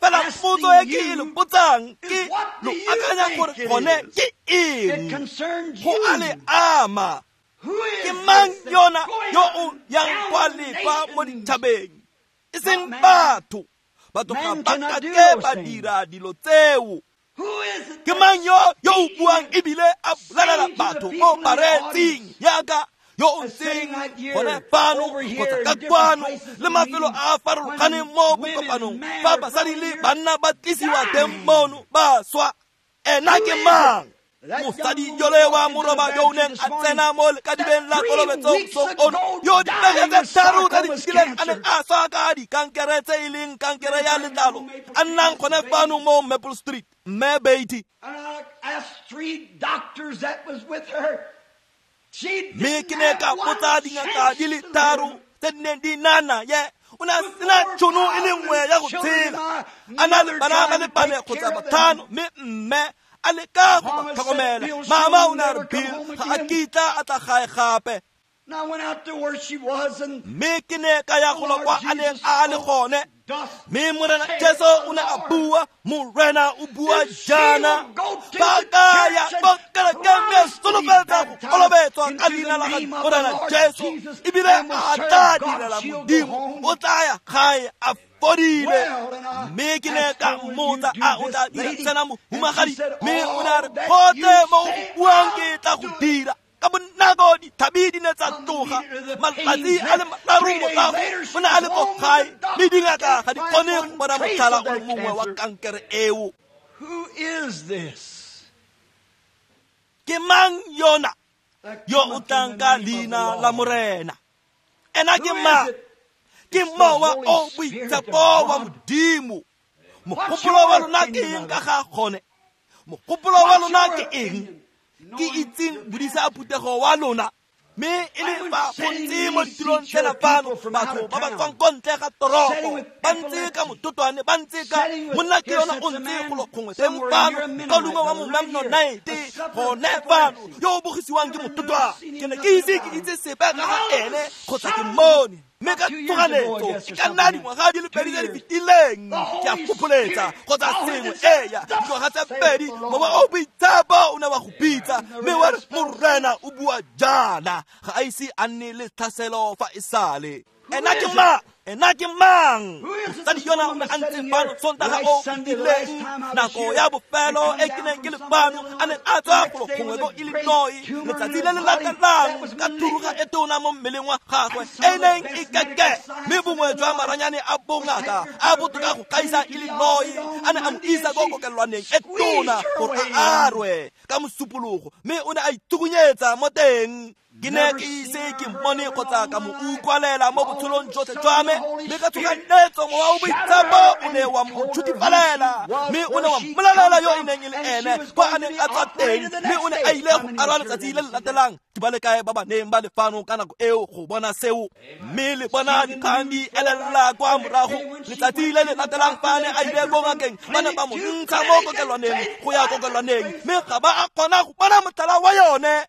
Fela potso e ke e le botsang ke, lo akanya gore gone ke eng? Go a le ama. Ke mang yona yo o yang kwa le kwa mo dithabeng? E seng batho. Batho ga ba ka ke ba dira dilo tseo. Ke mang yo yo o buang ebile a bolelela batho mo bareetsing yaka yo o ntseng gone fano kgotsa ka kwano le mafelo a a farologaneng mo bokopanong fa basadi le banna ba tlisiwa teng mono ba swa? Ena ke mang? Mosadi yole wa moroba yo o neng a tsena mo lekadibeng la kolobetso mosong ono, yo dibeke tse tharo tse di fetileng a neng a swa ka dikankere tse e leng kankere ya letlalo, a nnang gone fano mo Maple Street, Mme Beatty. Mme ke ne ka botsa dingaka di le tharo tse di neng di na naye, o ne a sena tšhono e le nngwe ya go tshela, a na le bana ba le bane kgotsa batlhano, mme mme a leka go ba tlhokomela. Mama o ne a re Bill ga a kitla a tla gae gape. Mme ke ne ka ya golo kwa a neng a le gone, mme Morena Jesu o ne a bua, Morena o bua jaana, ba ka ya ko kerekeng mme a solofetsa go kolobetswa ka leina la ga Morena Jesu, ebile a tla direla Modimo, o tla ya gae a fodile. Mme ke ne ka mmotsa a o tla dira sena mohumagadi, mme o ne a re gotlhe mo go buang ke tla go dira. Ka bonako dithabi di ne tsa tloga, matsatsi a le mararo morago o ne a le ko gae, mme dingaka ga di kgone go bona motlhala o le mongwe wa kankere eo. Ke mang yona yo o tlang ka leina la Morena? Ena ke mang? Ke Mowa o Boitshepo wa Modimo. Mogopolo wa lona ke eng ka ga gone? Mogopolo wa lona ke eng? Ke itseng bodisa phuthego wa lona, mme e le fa go ntse mo ditirong tsena fano batho ba ba tswang ko ntle ga toropo, ba ntse ka mototwane, ba ntse ka monna ke yona o ntse golo gongwe teng fano, ka longwe wa Momennonite gone fano, yo o bogisiwang ke mototwane. Ke ne ke ise ke itse sepe ka ga ene kgotsa ke mmone, mme ka tshoganyetso e ka nna dingwaga di le pedi tse di fetileng, ke a fopholetsa kgotsa sengwe, eya dingwaga tse pedi, Mowa o Boitshepo o ne wa go bitsa, mme wa re Morena o bua jaana, ga a ise a nne le tlhaselo fa e sale. Ena ke mang? Ena ke mang? Mosadi yona o ne a ntse fano Sontaga o fetileng, nako ya bofelo e ke neng ke le fano, a neng a tswa golo gongwe ko Illinois, letsatsi le le latelang ka thuruga e tona mo mmeleng wa gagwe e neng e keke, mme bongwe jwa maranyane a bongaka a botoka go gaisa Illinois a ne a mo isa ko kokelwaneng e tona gore a arwe ka mosupologo, mme o ne a ithukunyetsa mo teng. Ke ne ke ise ke mmone kgotsa ka mo utlwalela mo botshelong jotlhe jwa me, mme ka tshoganyetso Mowa o Boitshepo o ne wa mo tshutifalela, mme o ne wa mmolelela yo e neng e le ene kwa a neng a tswa teng, mme o ne a ile go arwa letsatsi le le latelang. Ke ba le kae ba ba neng ba le fano ka nako eo go bona seo? Mme le bona dikgang di elela kwa morago. Letsatsi le le latelang fa ne a ile ko ngakeng, ba ne ba mo ntsha mo kokelwaneng go ya kokelwaneng, mme ga ba a kgona go bona motlhala wa yone.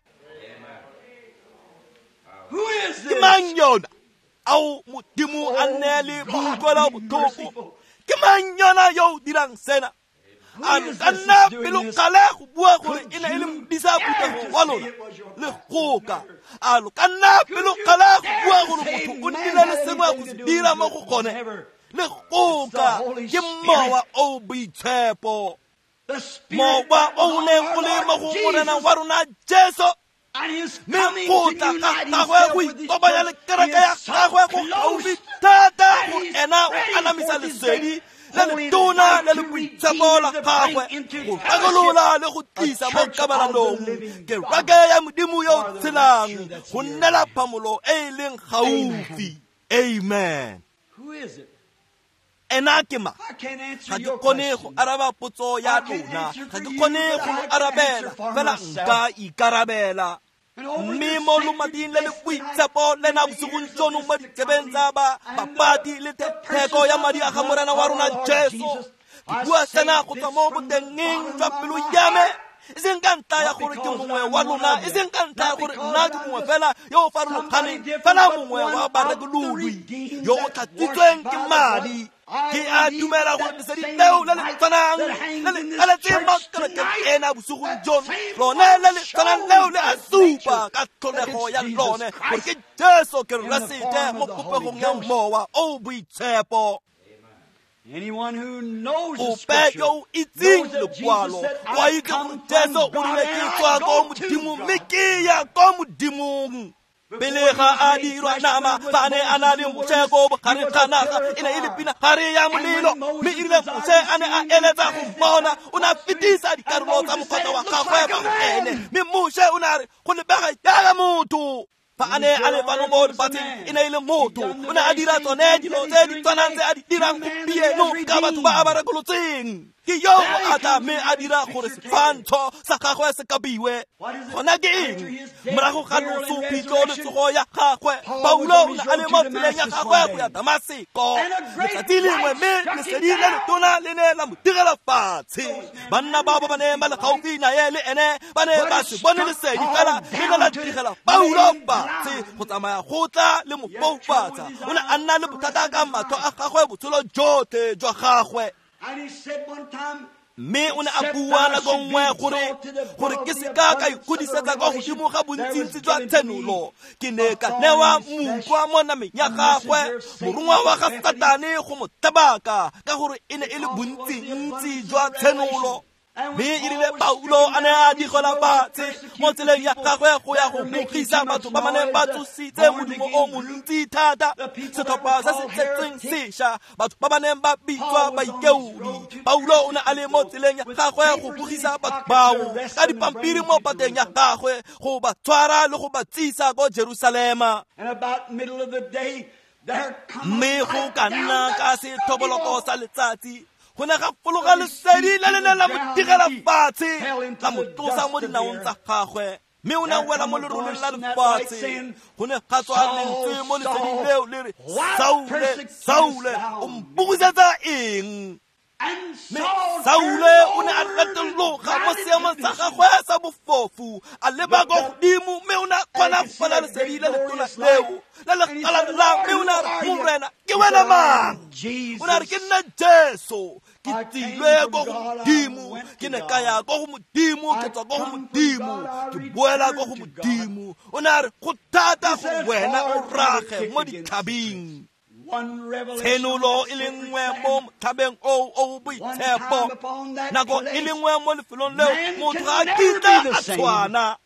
Ke mang yona? Ao Modimo a nne le boutlwelo botlhoko. Ke mang yona yo o dirang sena? A ka nna pelokgale go bua gore e ne e le modisa phuthego wa lona? Le goka. A lo ka nna pelokgale go bua gore motho o nnile le sengwe go se dira mo go gone? Le goka. Ke Mowa o Boitshepo, Mowa o o neng o le mo go Morena wa rona Jesu, mme go tla ga gagwe go ikopanya le kereke ya gagwe go gaufi thata go ena o anamisa lesedi le letona le le boitshepo la gagwe go rekolola le go tlisa mo kabalanong kereke ya Modimo yo o tshelang go nnela phamolo e e leng gaufi. Amen. Ena ke mang? Ga ke kgone go araba potso ya lona, ga ke kgone go lo arabela, fela nka ikarabela. Mme mo lomating le le boitshepo lena bosigong jono mo ditsebeng tsa ba bapati le theko ya madi a ga Morena wa rona Jesu, ke bua sena go tswa mo botengeng jwa pelo ya me, e seng ka ntlha ya gore ke mongwe wa lona, e seng ka ntlha ya gore nna ke mongwe fela yo o farologaneng, fela mongwe wa barekololwi yo o tlhatswitsweng ke madi. Ke a dumela gore lesedi leo le le tshwanang le le aletseng mo kerekeng ena bosigong jono, lone le le tshwanang leo le a supa ka tlholego ya lone gore ke Jesu Keresete mo popegong ya Mowa o Boitshepo. Ope yo o itseng lekwalo wa itse gore Jesu o rile ke tswa ko Modimong mme ke ya ko Modimong. Pele ga a dirwa nama fa a ne a na le Moshe ko bogareng ga naga e ne e le pinagare ya molelo mme e rile Moshe a ne a eletsa go mmona o ne a fetisa dikarolo tsa mokgotla wa gagwe kwa go ene mme Moshe o ne a re go lebega jaaka motho. Fa a ne a le fano mo lefatsheng e ne e le motho o ne a dira tsone dilo tse di tshwanang tse a di dirang gompieno ka batho ba a ba rekolotseng. Ke yo o a tla mme a dira gore setshwantsho sa gagwe se kabiwe. Gona ke eng? Morago ga loso, phitlho le tsogo ya gagwe, Paulo o ne a le mo tseleng ya gagwe go ya Damaseko. Letsatsi lengwe mme lesedi le letona le ne la mo direla fatshe. Banna bao ba ba neng ba le gaufi nae le ene ba ne ba se bone lesedi fela le ne la direla Paulo fatshe go tsamaya go tla le mo foufatsa. O ne a nna le bothata ka matlho a gagwe botshelo jotlhe jwa gagwe. Mme o ne a bua nako nngwe gore gore ke seka ka ikgodisetsa kwa godimo ga bontsintsi jwa tshenolo. Ke ne ka newa moutlwa mo nameng ya gagwe, morongwa wa ga Satane go mo tabaka ka gore e ne e le bontsintsi jwa tshenolo. Mme e rile Paulo a ne a digela fatshe mo tseleng ya gagwe go ya go bogisa batho ba ba neng ba tsositse modumo o montsi thata, setlhopha se se tletseng sešwa, batho ba ba neng ba bitswa baikeodi. Paulo o ne a le mo tseleng ya gagwe go bogisa batho bao ka dipampiri mo pateng ya gagwe go ba tshwara le go ba tsisa ko Jerusalema. Mme go ka nna ka sethoboloko sa letsatsi go ne ga fologa lesedi le le neng la mo digela fatshe la mo tlosa mo dinaong tsa gagwe mme o ne a wela mo leroleng la lefatshe. Go ne ga tswa lentswe mo leseding leo le re, Saule, Saule, o mpogisetsa eng? Mme Saule o ne a retologa mo seemong sa gagwe sa bofofu, a leba kwa godimo mme o ne a kgona go bona lesedi le letona leo le le galalelang mme o ne a re, Morena, ke wena mang? O ne a re, ke nna Jesu, ke tsilwe ko go Modimo, ke ne ka ya ko go Modimo, ke tswa ko go Modimo, ke boela ko go Modimo. O ne a re, go thata go wena o rage mo ditlhabing. Tshenolo e le nngwe mo motlhabeng oo o boitshepo, nako e le nngwe mo lefelong leo motho ga a kitla a tshwana.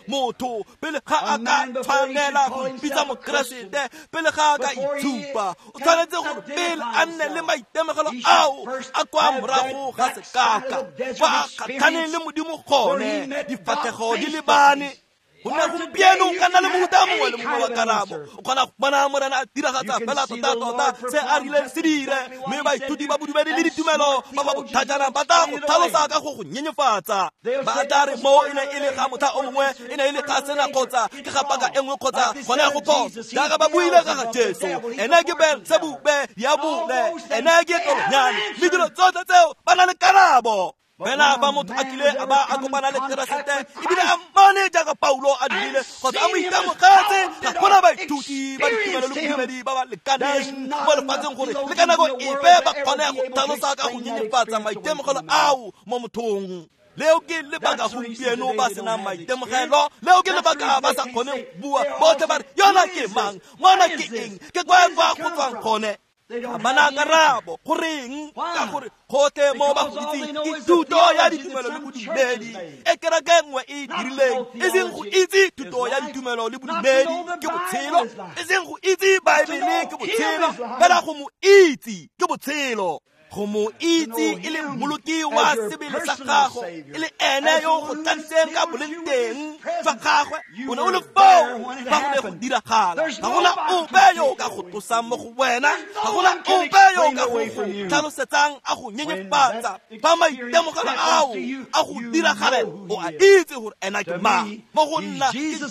Motho pele ga a ka tshwanela go ipitsa mokeresete, pele ga a ka itshupa, o tshwanetse gore pele a nne le maitemogelo ao a kwa morago ga sekaka kwa a kgatlhaneng le Modimo gone, difatlhego di lebane. Gonne gompieno o ka nna le mofuta mongwe le mongwe wa karabo, o kgona go bona Morena a diragatsa fela tota-tota se a rileng se dire, mme baithuti ba bodumedi le ditumelo ba ba botlhajana ba tla go tlhalosa ka go go nyenyefatsa. Ba tla re moo e ne e le ga motlha o mongwe, e ne e le ga sena kgotsa ke ga paka e nngwe kgotsa gone go phoso. Jaaka ba buile ka ga Jesu, ene ke Beelsebube, diabole, ene ke tlolonyane, mme dilo tsotlhe tseo ba na le karabo. Fela ba motho a kile a ba a kopana le Keresete ebile a mmone jaaka Paulo a dirile kgotsa a mo itemogetse, ga gona baithuti ba ditumelo le bodumedi ba ba lekaneng mo lefatsheng gore le ka nako epe ba kgone go tlhalosa ka go nyenyefatsa maitemogelo ao mo mothong. Leo ke lebaka gompieno ba senang maitemogelo, leo ke lebaka ba sa kgoneng go bua. Botlhe ba re, yona ke mang? Ngwana ke eng? Ke kwa kwa go tswang gone? Ga ba na karabo. Goreng? Ka gore gotlhe mo ba go itseng ke thuto ya ditumelo le bodumedi e kereke nngwe e dirileng, e seng go itse thuto ya ditumelo le bodumedi ke botshelo, e seng go itse Baebele ke botshelo, fela go mo itse ke botshelo. Go mo itse e le mmoloki wa sebele sa gago, e le ene yo go tladitseng ka boleng teng jwa gagwe, o ne o le foo fa go ne go diragala. Ga gona ope yo o ka go tlosang mo go wena, ga gona ope yo o ka go go tlhalosetsang a go nyenyefatsa. Fa maitemogelo ao a go diragalela, o a itse gore ena ke mang. Mo go nna ke Jesu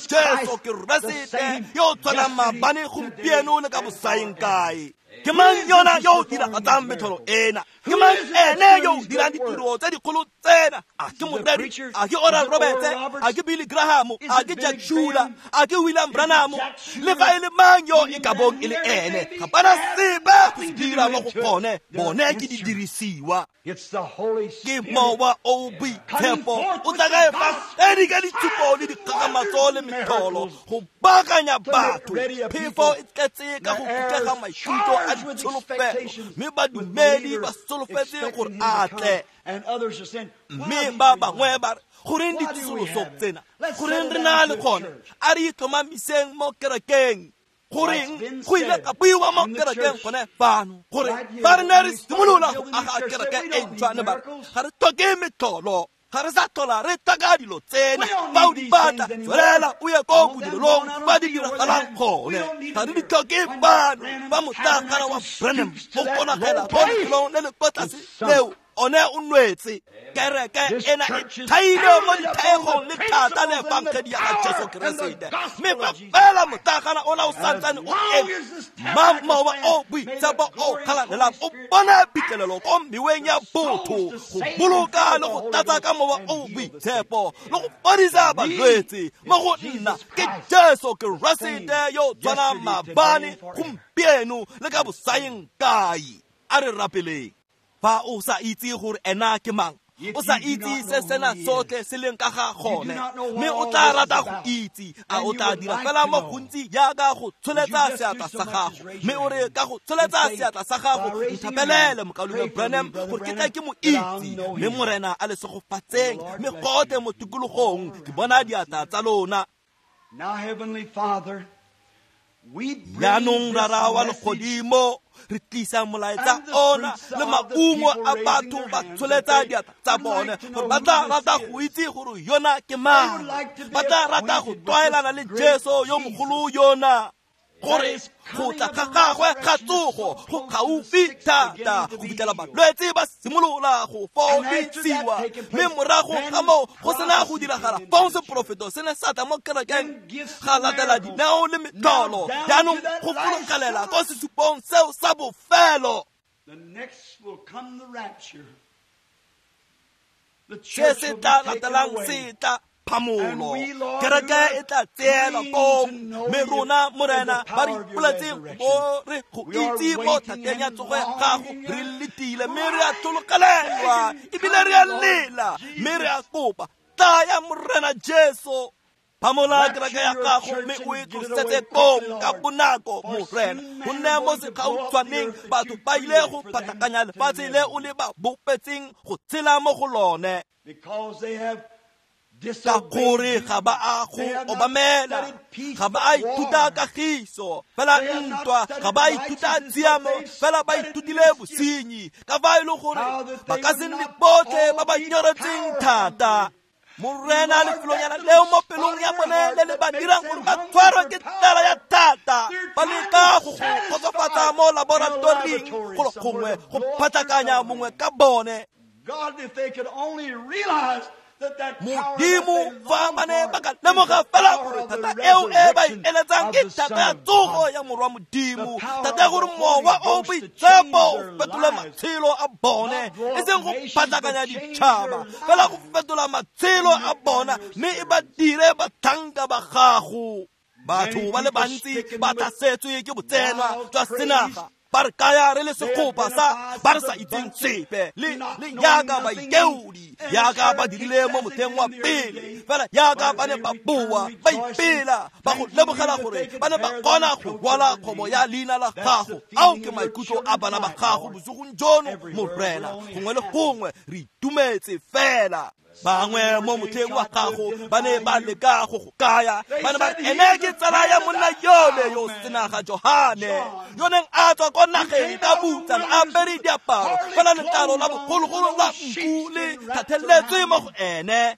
Keresete yo o tshwanang maabane, gompieno le ka bosaeng kae. Ke mang yona yo o diragatsang metlholo ena? Ke mang ene yo o dirang ditiro tse dikgolo tsena? A ke moreri? A ke Oral Roberts? A ke Billy Graham? A ke Jack Shuler? A ke William Branham? Le fa e le mang yo e ka bong e le ene, ga bana sepe go se dira mo go gone. Bone ke didirisiwa. Ke mowa o boitshepo o tla ka efangedi ka ditshupo le dikgakgamatso le metlholo go baakanya batho. Phefo e tletse ka go kutlega maikutlo a ditsholofelo, mme badumedi ba solofetse gore a tle. Mme ba bangwe ba re, goreng ditsosoloso tsena? Goreng re na le gone? A re itlhomamiseng mo kerekeng. Goreng go ile ka buiwa mo kerekeng gone fano gore fa re ne re simolola go aga kereke e ntšhwa, ne ba re ga re tlhoke metlholo, ga re sa tlhola re tlhoka dilo tsena. Fa o di batla, tswelela o ye ko bodirelong ba di diragalang gone. Ga re di tlhoke fano. Fa motlakgana wa Branham o konagela ko lefelong le le kwa tlase leo, one o nwetse. Kereke ena e thailwe mo dithaegong le thata le efangedi ya ga Jesu Keresete. Mme fa fela motlakgana ona o santsane o eme, mowa o boitshepo o kgalalelang o bona phitlhelelo ko meweng ya botho go boloka le go tlatsa ka mowa o boitshepo le go fodisa balwetse. Mo go nna ke Jesu Keresete yo tshwanang maabane, gompieno le ka bosaeng kae. A re rapeleng. Fa o sa itse gore ena ke mang, o sa itse se sena sotlhe se leng ka ga gone, mme o tla rata go itse, a o tla dira fela mo gontsi jaaka go tsholetsa seatla sa gago, mme o re ka go tsholetsa seatla sa gago, nthapelele mokaulengwe Branham gore ke tle ke mo itse. Mme Morena a le segofatseng, mme gotlhe mo tikologong ke bona diatla tsa lona. Jaanong Rara wa legodimo, re tlisa molaetsa ona le maungo a batho ba tsholetsa diatla tsa bone gore ba tla rata go itse gore yona ke mang, ba tla rata go tlwaelana le Jesu yo mogolo yona, gore go tla ga gagwe ga tsogo go gaufi thata go fitlhela balwetse ba simolola go fodisiwa. Mme morago ga moo go sena go diragala fong seporofeto se ne sa tla mo kerekeng, ga latela dineo le metlholo. Jaanong go fologelela ko sesupong seo sa bofelo. Se se tla latelang se tla phamolo, kereke e tla tseela kong. Mme rona Morena ba re ipoletseng gore go itse mo thateng ya tsogo ya gago, re letile mme re a tlhologelelwa ebile re a lela, mme re a kopa, tlaya Morena Jesu. Phamola kereke ya gago mme o e tlosetse kong ka bonako Morena, gonne mo segautshwaneng batho ba ile go phatlakanya lefatshe le o le ba bopetseng go tshela mo go lone, ka gore ga ba a go obamela, ga ba a ithuta kagiso fela ntwa, ga ba a ithuta tshiamo fela ba ithutile bosenyi, ka fa e le gore ba ka se nne botlhe ba ba nyoretseng thata. Morena, lefelonyana leo mo pelong ya bone le le ba dirang gore ba tshwarwe ke tlala ya thata, ba leka go go kgotsofatsa mo laboratoring golo gongwe go phatlakanya mongwe ka bone. Modimo, fa ba ne ba ka lemoga fela gore thata eo e ba e eletsang ke thata ya tsogo ya morwa Modimo, thata ya gore mowa o boitshepo o fetole matshelo a bone, e seng go phatlakanya ditšhaba, fela go fetola matshelo a bona mme e ba dire batlhanka ba gago. Batho ba le bantsi ba tlhasetswe ke botsenwa jwa senaga, ba re kaya re le segopa sa ba re sa itseng sepe, le le yaka baikeodi, yaka ba dirile mo motheng wa pele, fela yaka ba ne ba boa ba ipela, ba go lebogela gore ba ne ba kgona go rwala kgomo ya leina la gago. Ao ke maikutlo a bana ba gago bosigong jono Morena, gongwe le gongwe re itumetse fela. Bangwe mo motlheng wa gago ba ne ba leka go go kaya, ba ne ba re ene ke tsala ya monna yole yo senaga Johane, yo neng a tswa ko nageng ka butsana a apere diaparo fela letlalo la bogologolo la nku le thatheletswe mo go ene.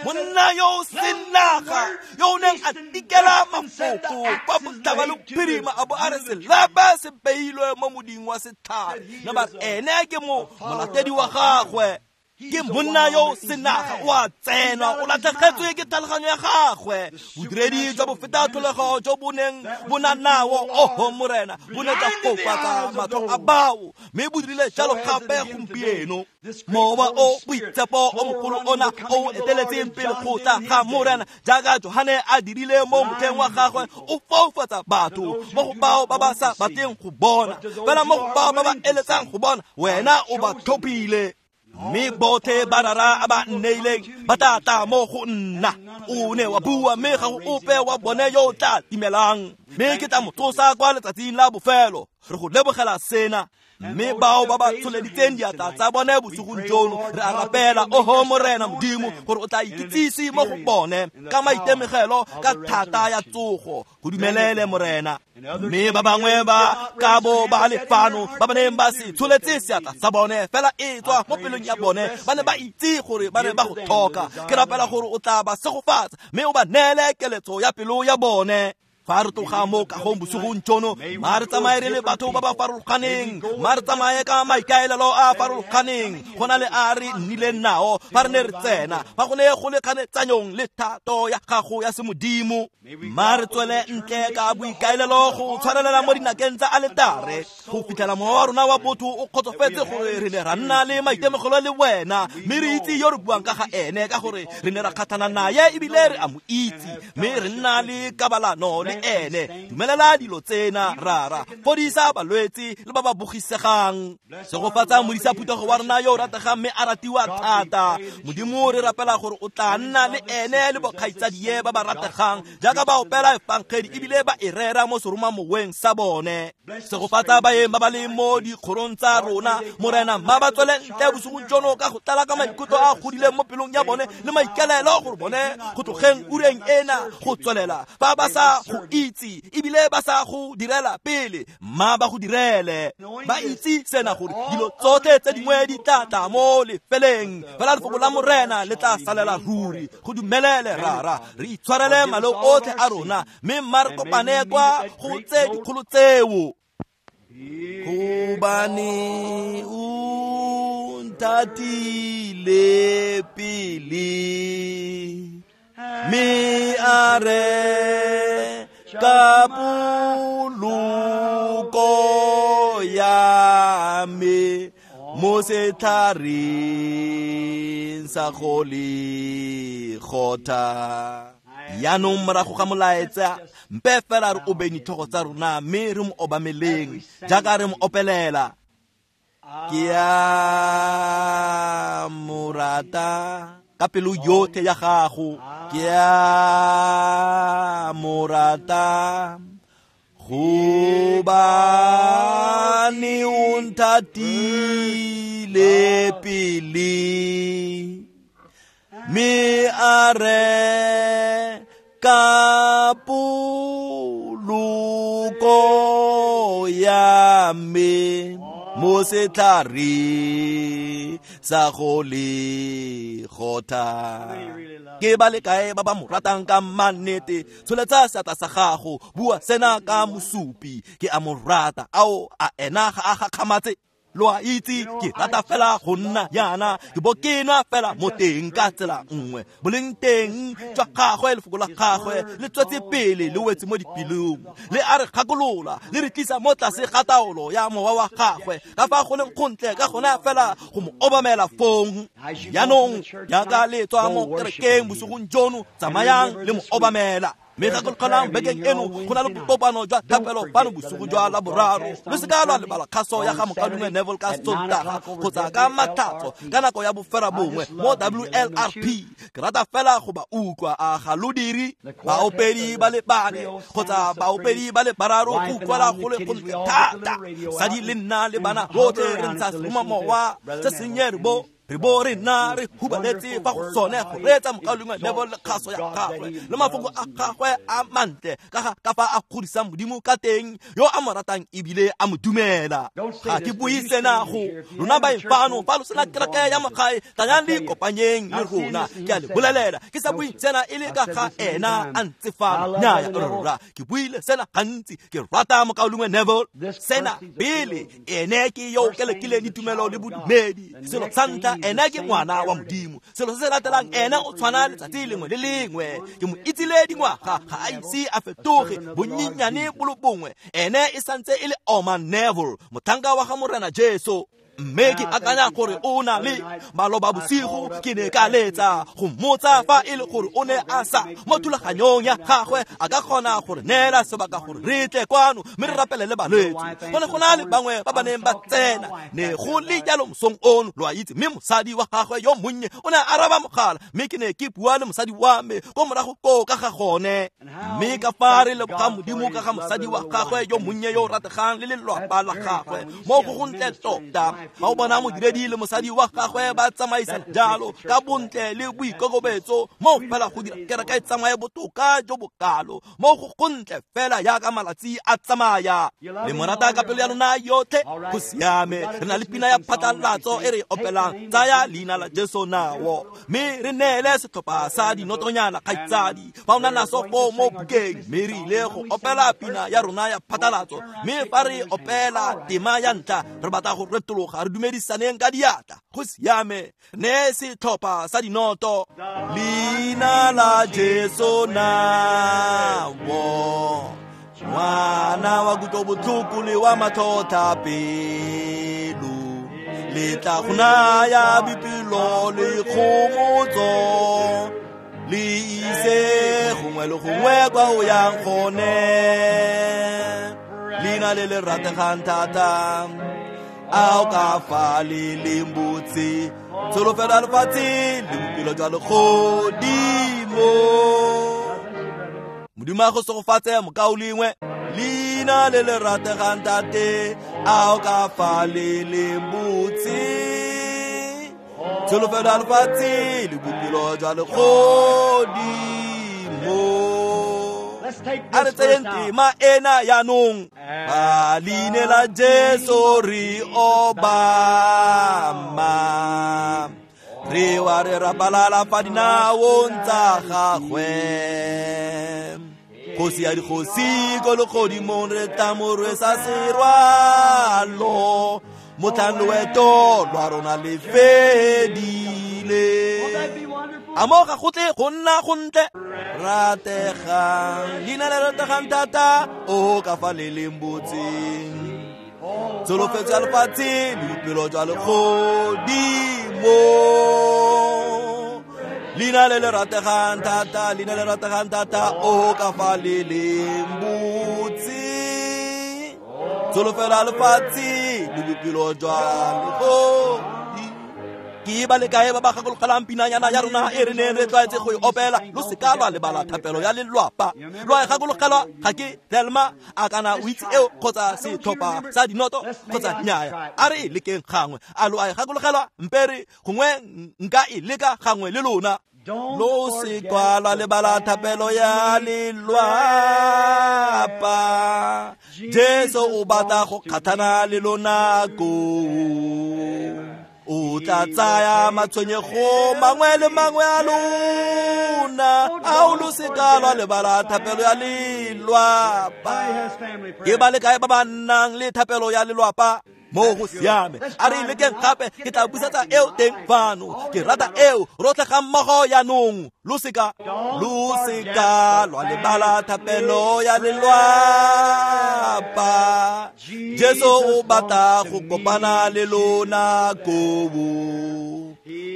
Monna yo senaga yo neng a tikela mafoko kwa botlhaba le bophirima, a bo a re selepe se beilwe mo moding wa setlhare, ne ba re ene ke mo molatedi wa gagwe. Ke monna yo senaga o a tsenwa, o latlhegetswe ke tlhaloganyo ya gagwe. Bodiredi jwa bofeta tlholego jo bo neng bo na nao, oho Morena, bo ne jwa fofatsa matlho a bao, mme bo dirile jalo gape gompieno. Mowa o boitshepo o mogolo ona o eteletseng pele go tla ga Morena, jaaka Johane a dirile mo motlheng wa gagwe, o foufatsa batho mo go bao ba ba sa batleng go bona, fela mo go bao ba ba eletsang go bona, wena o ba tlhophile. Mme botlhe ba Rara a ba nneileng ba tla tla mo go nna, O ne wa bua mme ga go ope wa bone yo o tla timelang, mme ke tla mo tsosa kwa letsatsing la bofelo. Re go lebogela sena. Mme bao ba ba tsholeditseng diatla tsa bone bosigong jono, re a rapela, oho Morena Modimo, gore o tla ikitsise mo go bone ka maitemogelo ka thata ya tsogo. Go dumelele Morena. Mme ba bangwe ba ka bo ba le fano ba ba neng ba se tsholetse seatla sa bone fela e tswa mo pelong ya bone, ba ne ba itse gore ba ne ba go tlhoka. Ke rapela gore o tla ba segofatsa mme o ba neele keletso ya pelo ya bone. Fa re tloga mo kagong bosigong jono, ma re tsamaye re le batho ba ba farologaneng, ma re tsamaye ka maikaelelo a farologaneng go na le a re nnileng nao fa re ne re tsena, fa go ne go le kganetsanyong le thato ya gago ya semodimo. Ma re tswele ntle ka boikaelelo go tshwarelela mo dinakeng tsa aletare go fitlhela mowa wa rona wa botho o kgotsofetse gore re ne ra nna le maitemogelo le wena, mme re itse yo re buang ka ga ene, ka gore re ne ra kgatlhana naye ebile re a mo itse, mme re nna le kabalano le ene. Dumelela dilo tsena, Rara. Fodisa balwetse le ba ba bogisegang. Segofatsa modisa phuthego wa rona yo o rategang mme a ratiwa thata. Modimo, re rapela gore o tla nna le ene le bokgaitsadie ba ba rategang jaaka ba opela efangedi ebile ba e rera mo seromamoweng sa bone. Segofatsa baeng ba ba leng mo dikgorong tsa rona, Morena, mma ba tswele ntle bosigong jono ka go tlala ka maikutlo a godileng mo pelong ya bone le maikaelelo gore bone go tlogeng ureng ena go tswelela ba ba sa go itse ebile ba sa go direla pele, mma ba go direle. Ba itse sena gore dilo tsotlhe tse dingwe di tla tla mo lefeleng, fela lefoko la Morena le tla salela ruri. Go dumelele, Rara, re itshwarele maleo otlhe a rona, mme mma re kopane kwa go tse dikgolo tseo. Gobane o nthatile pele, mme a re ka poloko ya me mo setlhareng sa go le kgotha. Jaanong morago ga molaetsa, mpe fela re obeng ditlhogo tsa rona mme re mo obameleng jaaka re mo opelela. Ke a mo rata ka pelo yotlhe ya gago, ke a mo rata gobane o nthatile pele, mme a re ka poloko ya me mo setlhareng sa go le kgotha. Ke ba le kae ba ba mo ratang ka mannete? Tsholetsa seatla sa gago, bua sena ka mosupi, ke a mo rata. Ao, a ena ga a gakgamatse? Lo a itse, ke rata fela go nna yana, ke bo ke nwa fela mo teng ka tsela nngwe. Boleng teng jwa gagwe, lefoko la gagwe le tswetse pele le wetse mo dipelong, le a re gakolola, le re tlisa mo tlase ga taolo ya mowa wa gagwe, ka fa go leng gontle ka gona fela go mo obamela fong. Jaanong jaaka le tswa mo kerekeng bosigong jono, tsamayang le mo obamela. Mme gakologelang bekeng eno go na le bokopano jwa thapelo fano bosigo jwa Laboraro. Le se ka lwa lebala kgaso ya ga mokaulengwe Neville ka Sontaga kgotsa ka Matlhatso ka nako ya boferabongwe mo W L R P. Ke rata fela go ba utlwa, a ga lo dire? Baopedi ba le bane kgotsa baopedi ba le bararo go utlwala go le gontle thata. Sadi le nna le bana rotlhe re ntsha seromamowa se sennye re bo re bo re nna re hubaletse fa go sone go reetsa mokaulengwe Neville le kgaso ya gagwe le mafoko a gagwe a mantle ka ga ka fa a godisang Modimo ka teng, yo a mo ratang ebile a mo dumela. Ga ke bue sena go lona baeng fano, fa lo sena kereke ya mogae, tlayang le ikopanyeng le rona. Ke a le bolelela, ke sa bue sena e le ka ga ena a ntse fano. Nnyaya rra, ke buile sena gantsi, ke rata mokaulengwe Neville. Sena pele, ene ke yo o kelekileng ditumelo le bodumedi. Selo sa ntlha, ene ke ngwana wa Modimo. Selo se se latelang, ene o tshwana letsatsi lengwe le lengwe. Ke mo itsile dingwaga, ga a ise a fetoge bonyenyane bo le bongwe. Ene e santse e le Oma Neville, motlhanka wa ga Morena Jesu. Mme ke akanya gore o na le maloba bosigo ke ne ka letsa go mmotsa fa e le gore o ne a sa mo thulaganyong ya gagwe a ka kgona gore neela sebaka gore re tle kwano mme re rapelele balwetse. Go ne go na le bangwe ba ba neng ba tsena ne go le jalo mosong ono, lo a itse, mme mosadi wa gagwe yo monnye o ne a araba mogala, mme ke ne ke bua le mosadi wa me ko morago koo ka ga gone. Mme ka fa re leboga Modimo ka ga mosadi wa gagwe yo monnye yo o rategang le lelwapa la gagwe mo go gontle tota. Fa o bona modiredi le mosadi wa gagwe ba tsamaisa jalo ka bontle le boikokobetso mo fela go dira kereke e tsamaye botoka jo bokalo mo go gontle fela yaka malatsi a tsamaya. Le mo rata ka pelo ya lona yotlhe, go siame. Re na le pina ya phatlalatso e re opelang, tsaya leina la Jesu nao, mme re neele setlhopha sa dinotonyana kgaitsadi fa o na naso foo mo bukeng. Mme re ile go opela pina ya rona ya phatlalatso, mme fa re opela tema ya ntlha re batla go retologa re dumedisaneng ka diatla. Go siame, ne setlhopha sa dinoto. Leina la Jesu nao, ngwana wa kutlobotlhoko le wa matlhotlhapelo, le tla go naya boipelo le kgomotso, le ise gongwe le gongwe kwa o yang gone. Leina le le rategang thata, a o ka fa le leng botse, tsholofelo ya lefatshe le bophelo jwa legodimo. Modimo a go segofatse mokaulengwe. Leina le le rategang tate, a o ka fa le leng botse, tsholofelo ya lefatshe le bophelo jwa legodimo. A re tseyeng tema ena jaanong. Ka leina la Jesu re obama, re wa re rapalala fa dinaong tsa gagwe. Kgosi ya dikgosi ko legodimong re tla mo rwesa serwalo, motlhang loeto lwa rona le fedile. A mo ga go tle go nna gontle rategang, leina le rategang thata, o ka fa le leng botseng, tsholofetso ya lefatshe le bophelo jwa legodimo. Leina le le rategang thata, leina le rategang thata, o ka fa le leng botse, tsholofelo ya lefatshe le bophelo jwa legodimo. Ke ba le kae ba ba gakologelang pinanyana ya rona e re neng re tlwaetse go e opela? Lo seka lwa lebala thapelo ya lelwapa. Lo a e gakologelwa? Ga ke Thelma a kana o itse eo kgotsa setlhopha sa dinoto kgotsa nnyaya. A re e lekeng gangwe. A lo a e gakologelwa? Mpe re gongwe nka e leka gangwe le lona. Lo seka lwa lebala thapelo ya lelwapa. Jesu o batla go kgatlhana le lona koo. O tla tsaya matshwenyego mangwe le mangwe a lona, a o lo seka lwa lebala thapelo ya lelwapa. Ke ba le kae ba ba nnang le thapelo ya lelwapa? Mo go siame. A re lekeng gape, ke tla busetsa eo teng fano. Ke rata eo, rotlhe ga mmogo jaanong. Lo seka, lo seka lwa lebala thapelo ya lelwapa. Jesu o batla go kopana le lona koo.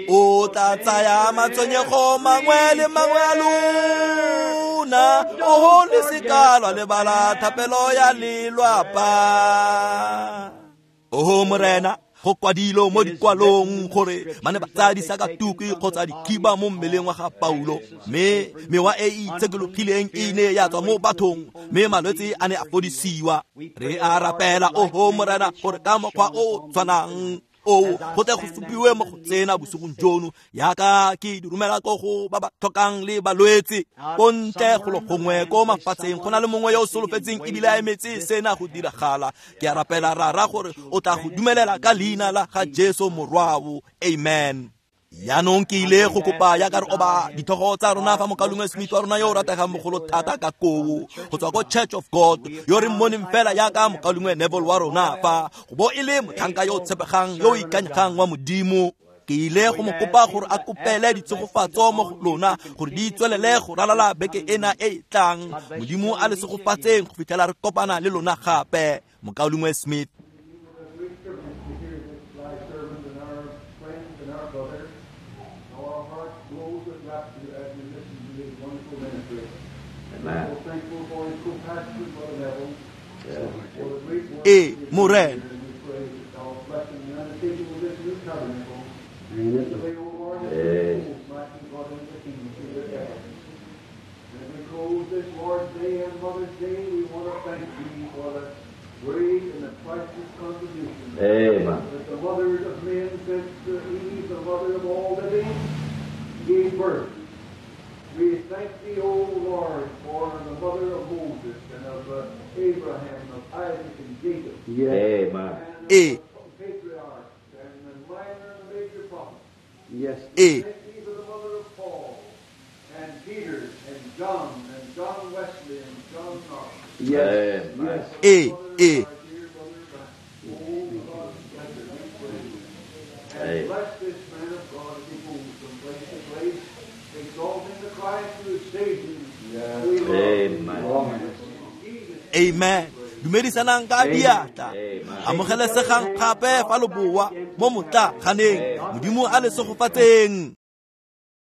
O tla tsaya matshwenyego mangwe le mangwe a lona, oho le seka lwa lebala thapelo ya lelwapa. Oho Morena, go kwadilwe mo dikwalong gore ba ne ba tsaya disakatuku kgotsa dikhiba mo mmeleng wa ga Paulo, mme mewa e e itshekologileng e ne ya tswa mo bathong, mme malwetse a ne a fodisiwa. Re a rapela, oho Morena, gore ka mokgwa o o tshwanang oo go tle go supiwe mo go tsena bosigong jono, yaka ke di romela ko go ba ba tlhokang le balwetse ko ntle golo gongwe ko mafatsheng. Go na le mongwe yo o solofetseng ebile a emetse sena go diragala. Ke a rapela Rara gore o tla go dumelela ka leina la ga Jesu morwao. Amen. Jaanong ke ile go kopa yaka re oba ditlhogo tsa rona fa mokaulengwe Smith wa rona yo o rategang mogolo thata ka koo go tswa ko Church of God, yo re mmoneng fela yaka mokaulengwe Neville wa rona fa go bo e le motlhanka yo o tshepegang yo o ikanyegang wa Modimo. Ke ile go mo kopa gore a kopele ditshegofatso mo go lona gore di tswelele go ralala beke ena e e tlang. Modimo a le segofatseng go fitlhela re kopana le lona gape. Mokaulengwe Smith. Ee, Morena. This Lord's Day and Mother's Day, we want to thank Thee for the great and the priceless contribution. Amen. That the mother of men, since Eve, the mother of all living, gave birth. We thank Thee, O Lord, for the mother of Moses and of uh, Abraham, of Isaac and Jacob. Yes. Amen. And of E. the patriarchs and the minor and the major prophets. Yes. E. Thank Thee for the mother of Paul and Peter and John and John Wesley and John Knox. Yes. Amen. Yes. E. E. And bless this man of God as he moves from place to place, exalting the Christ who has saved him. We love Amen. Amen. Dumedisanang ka diatla. Amen. Amogelesegang gape fa lo boa mo motlaganeng. Modimo a le segofatseng.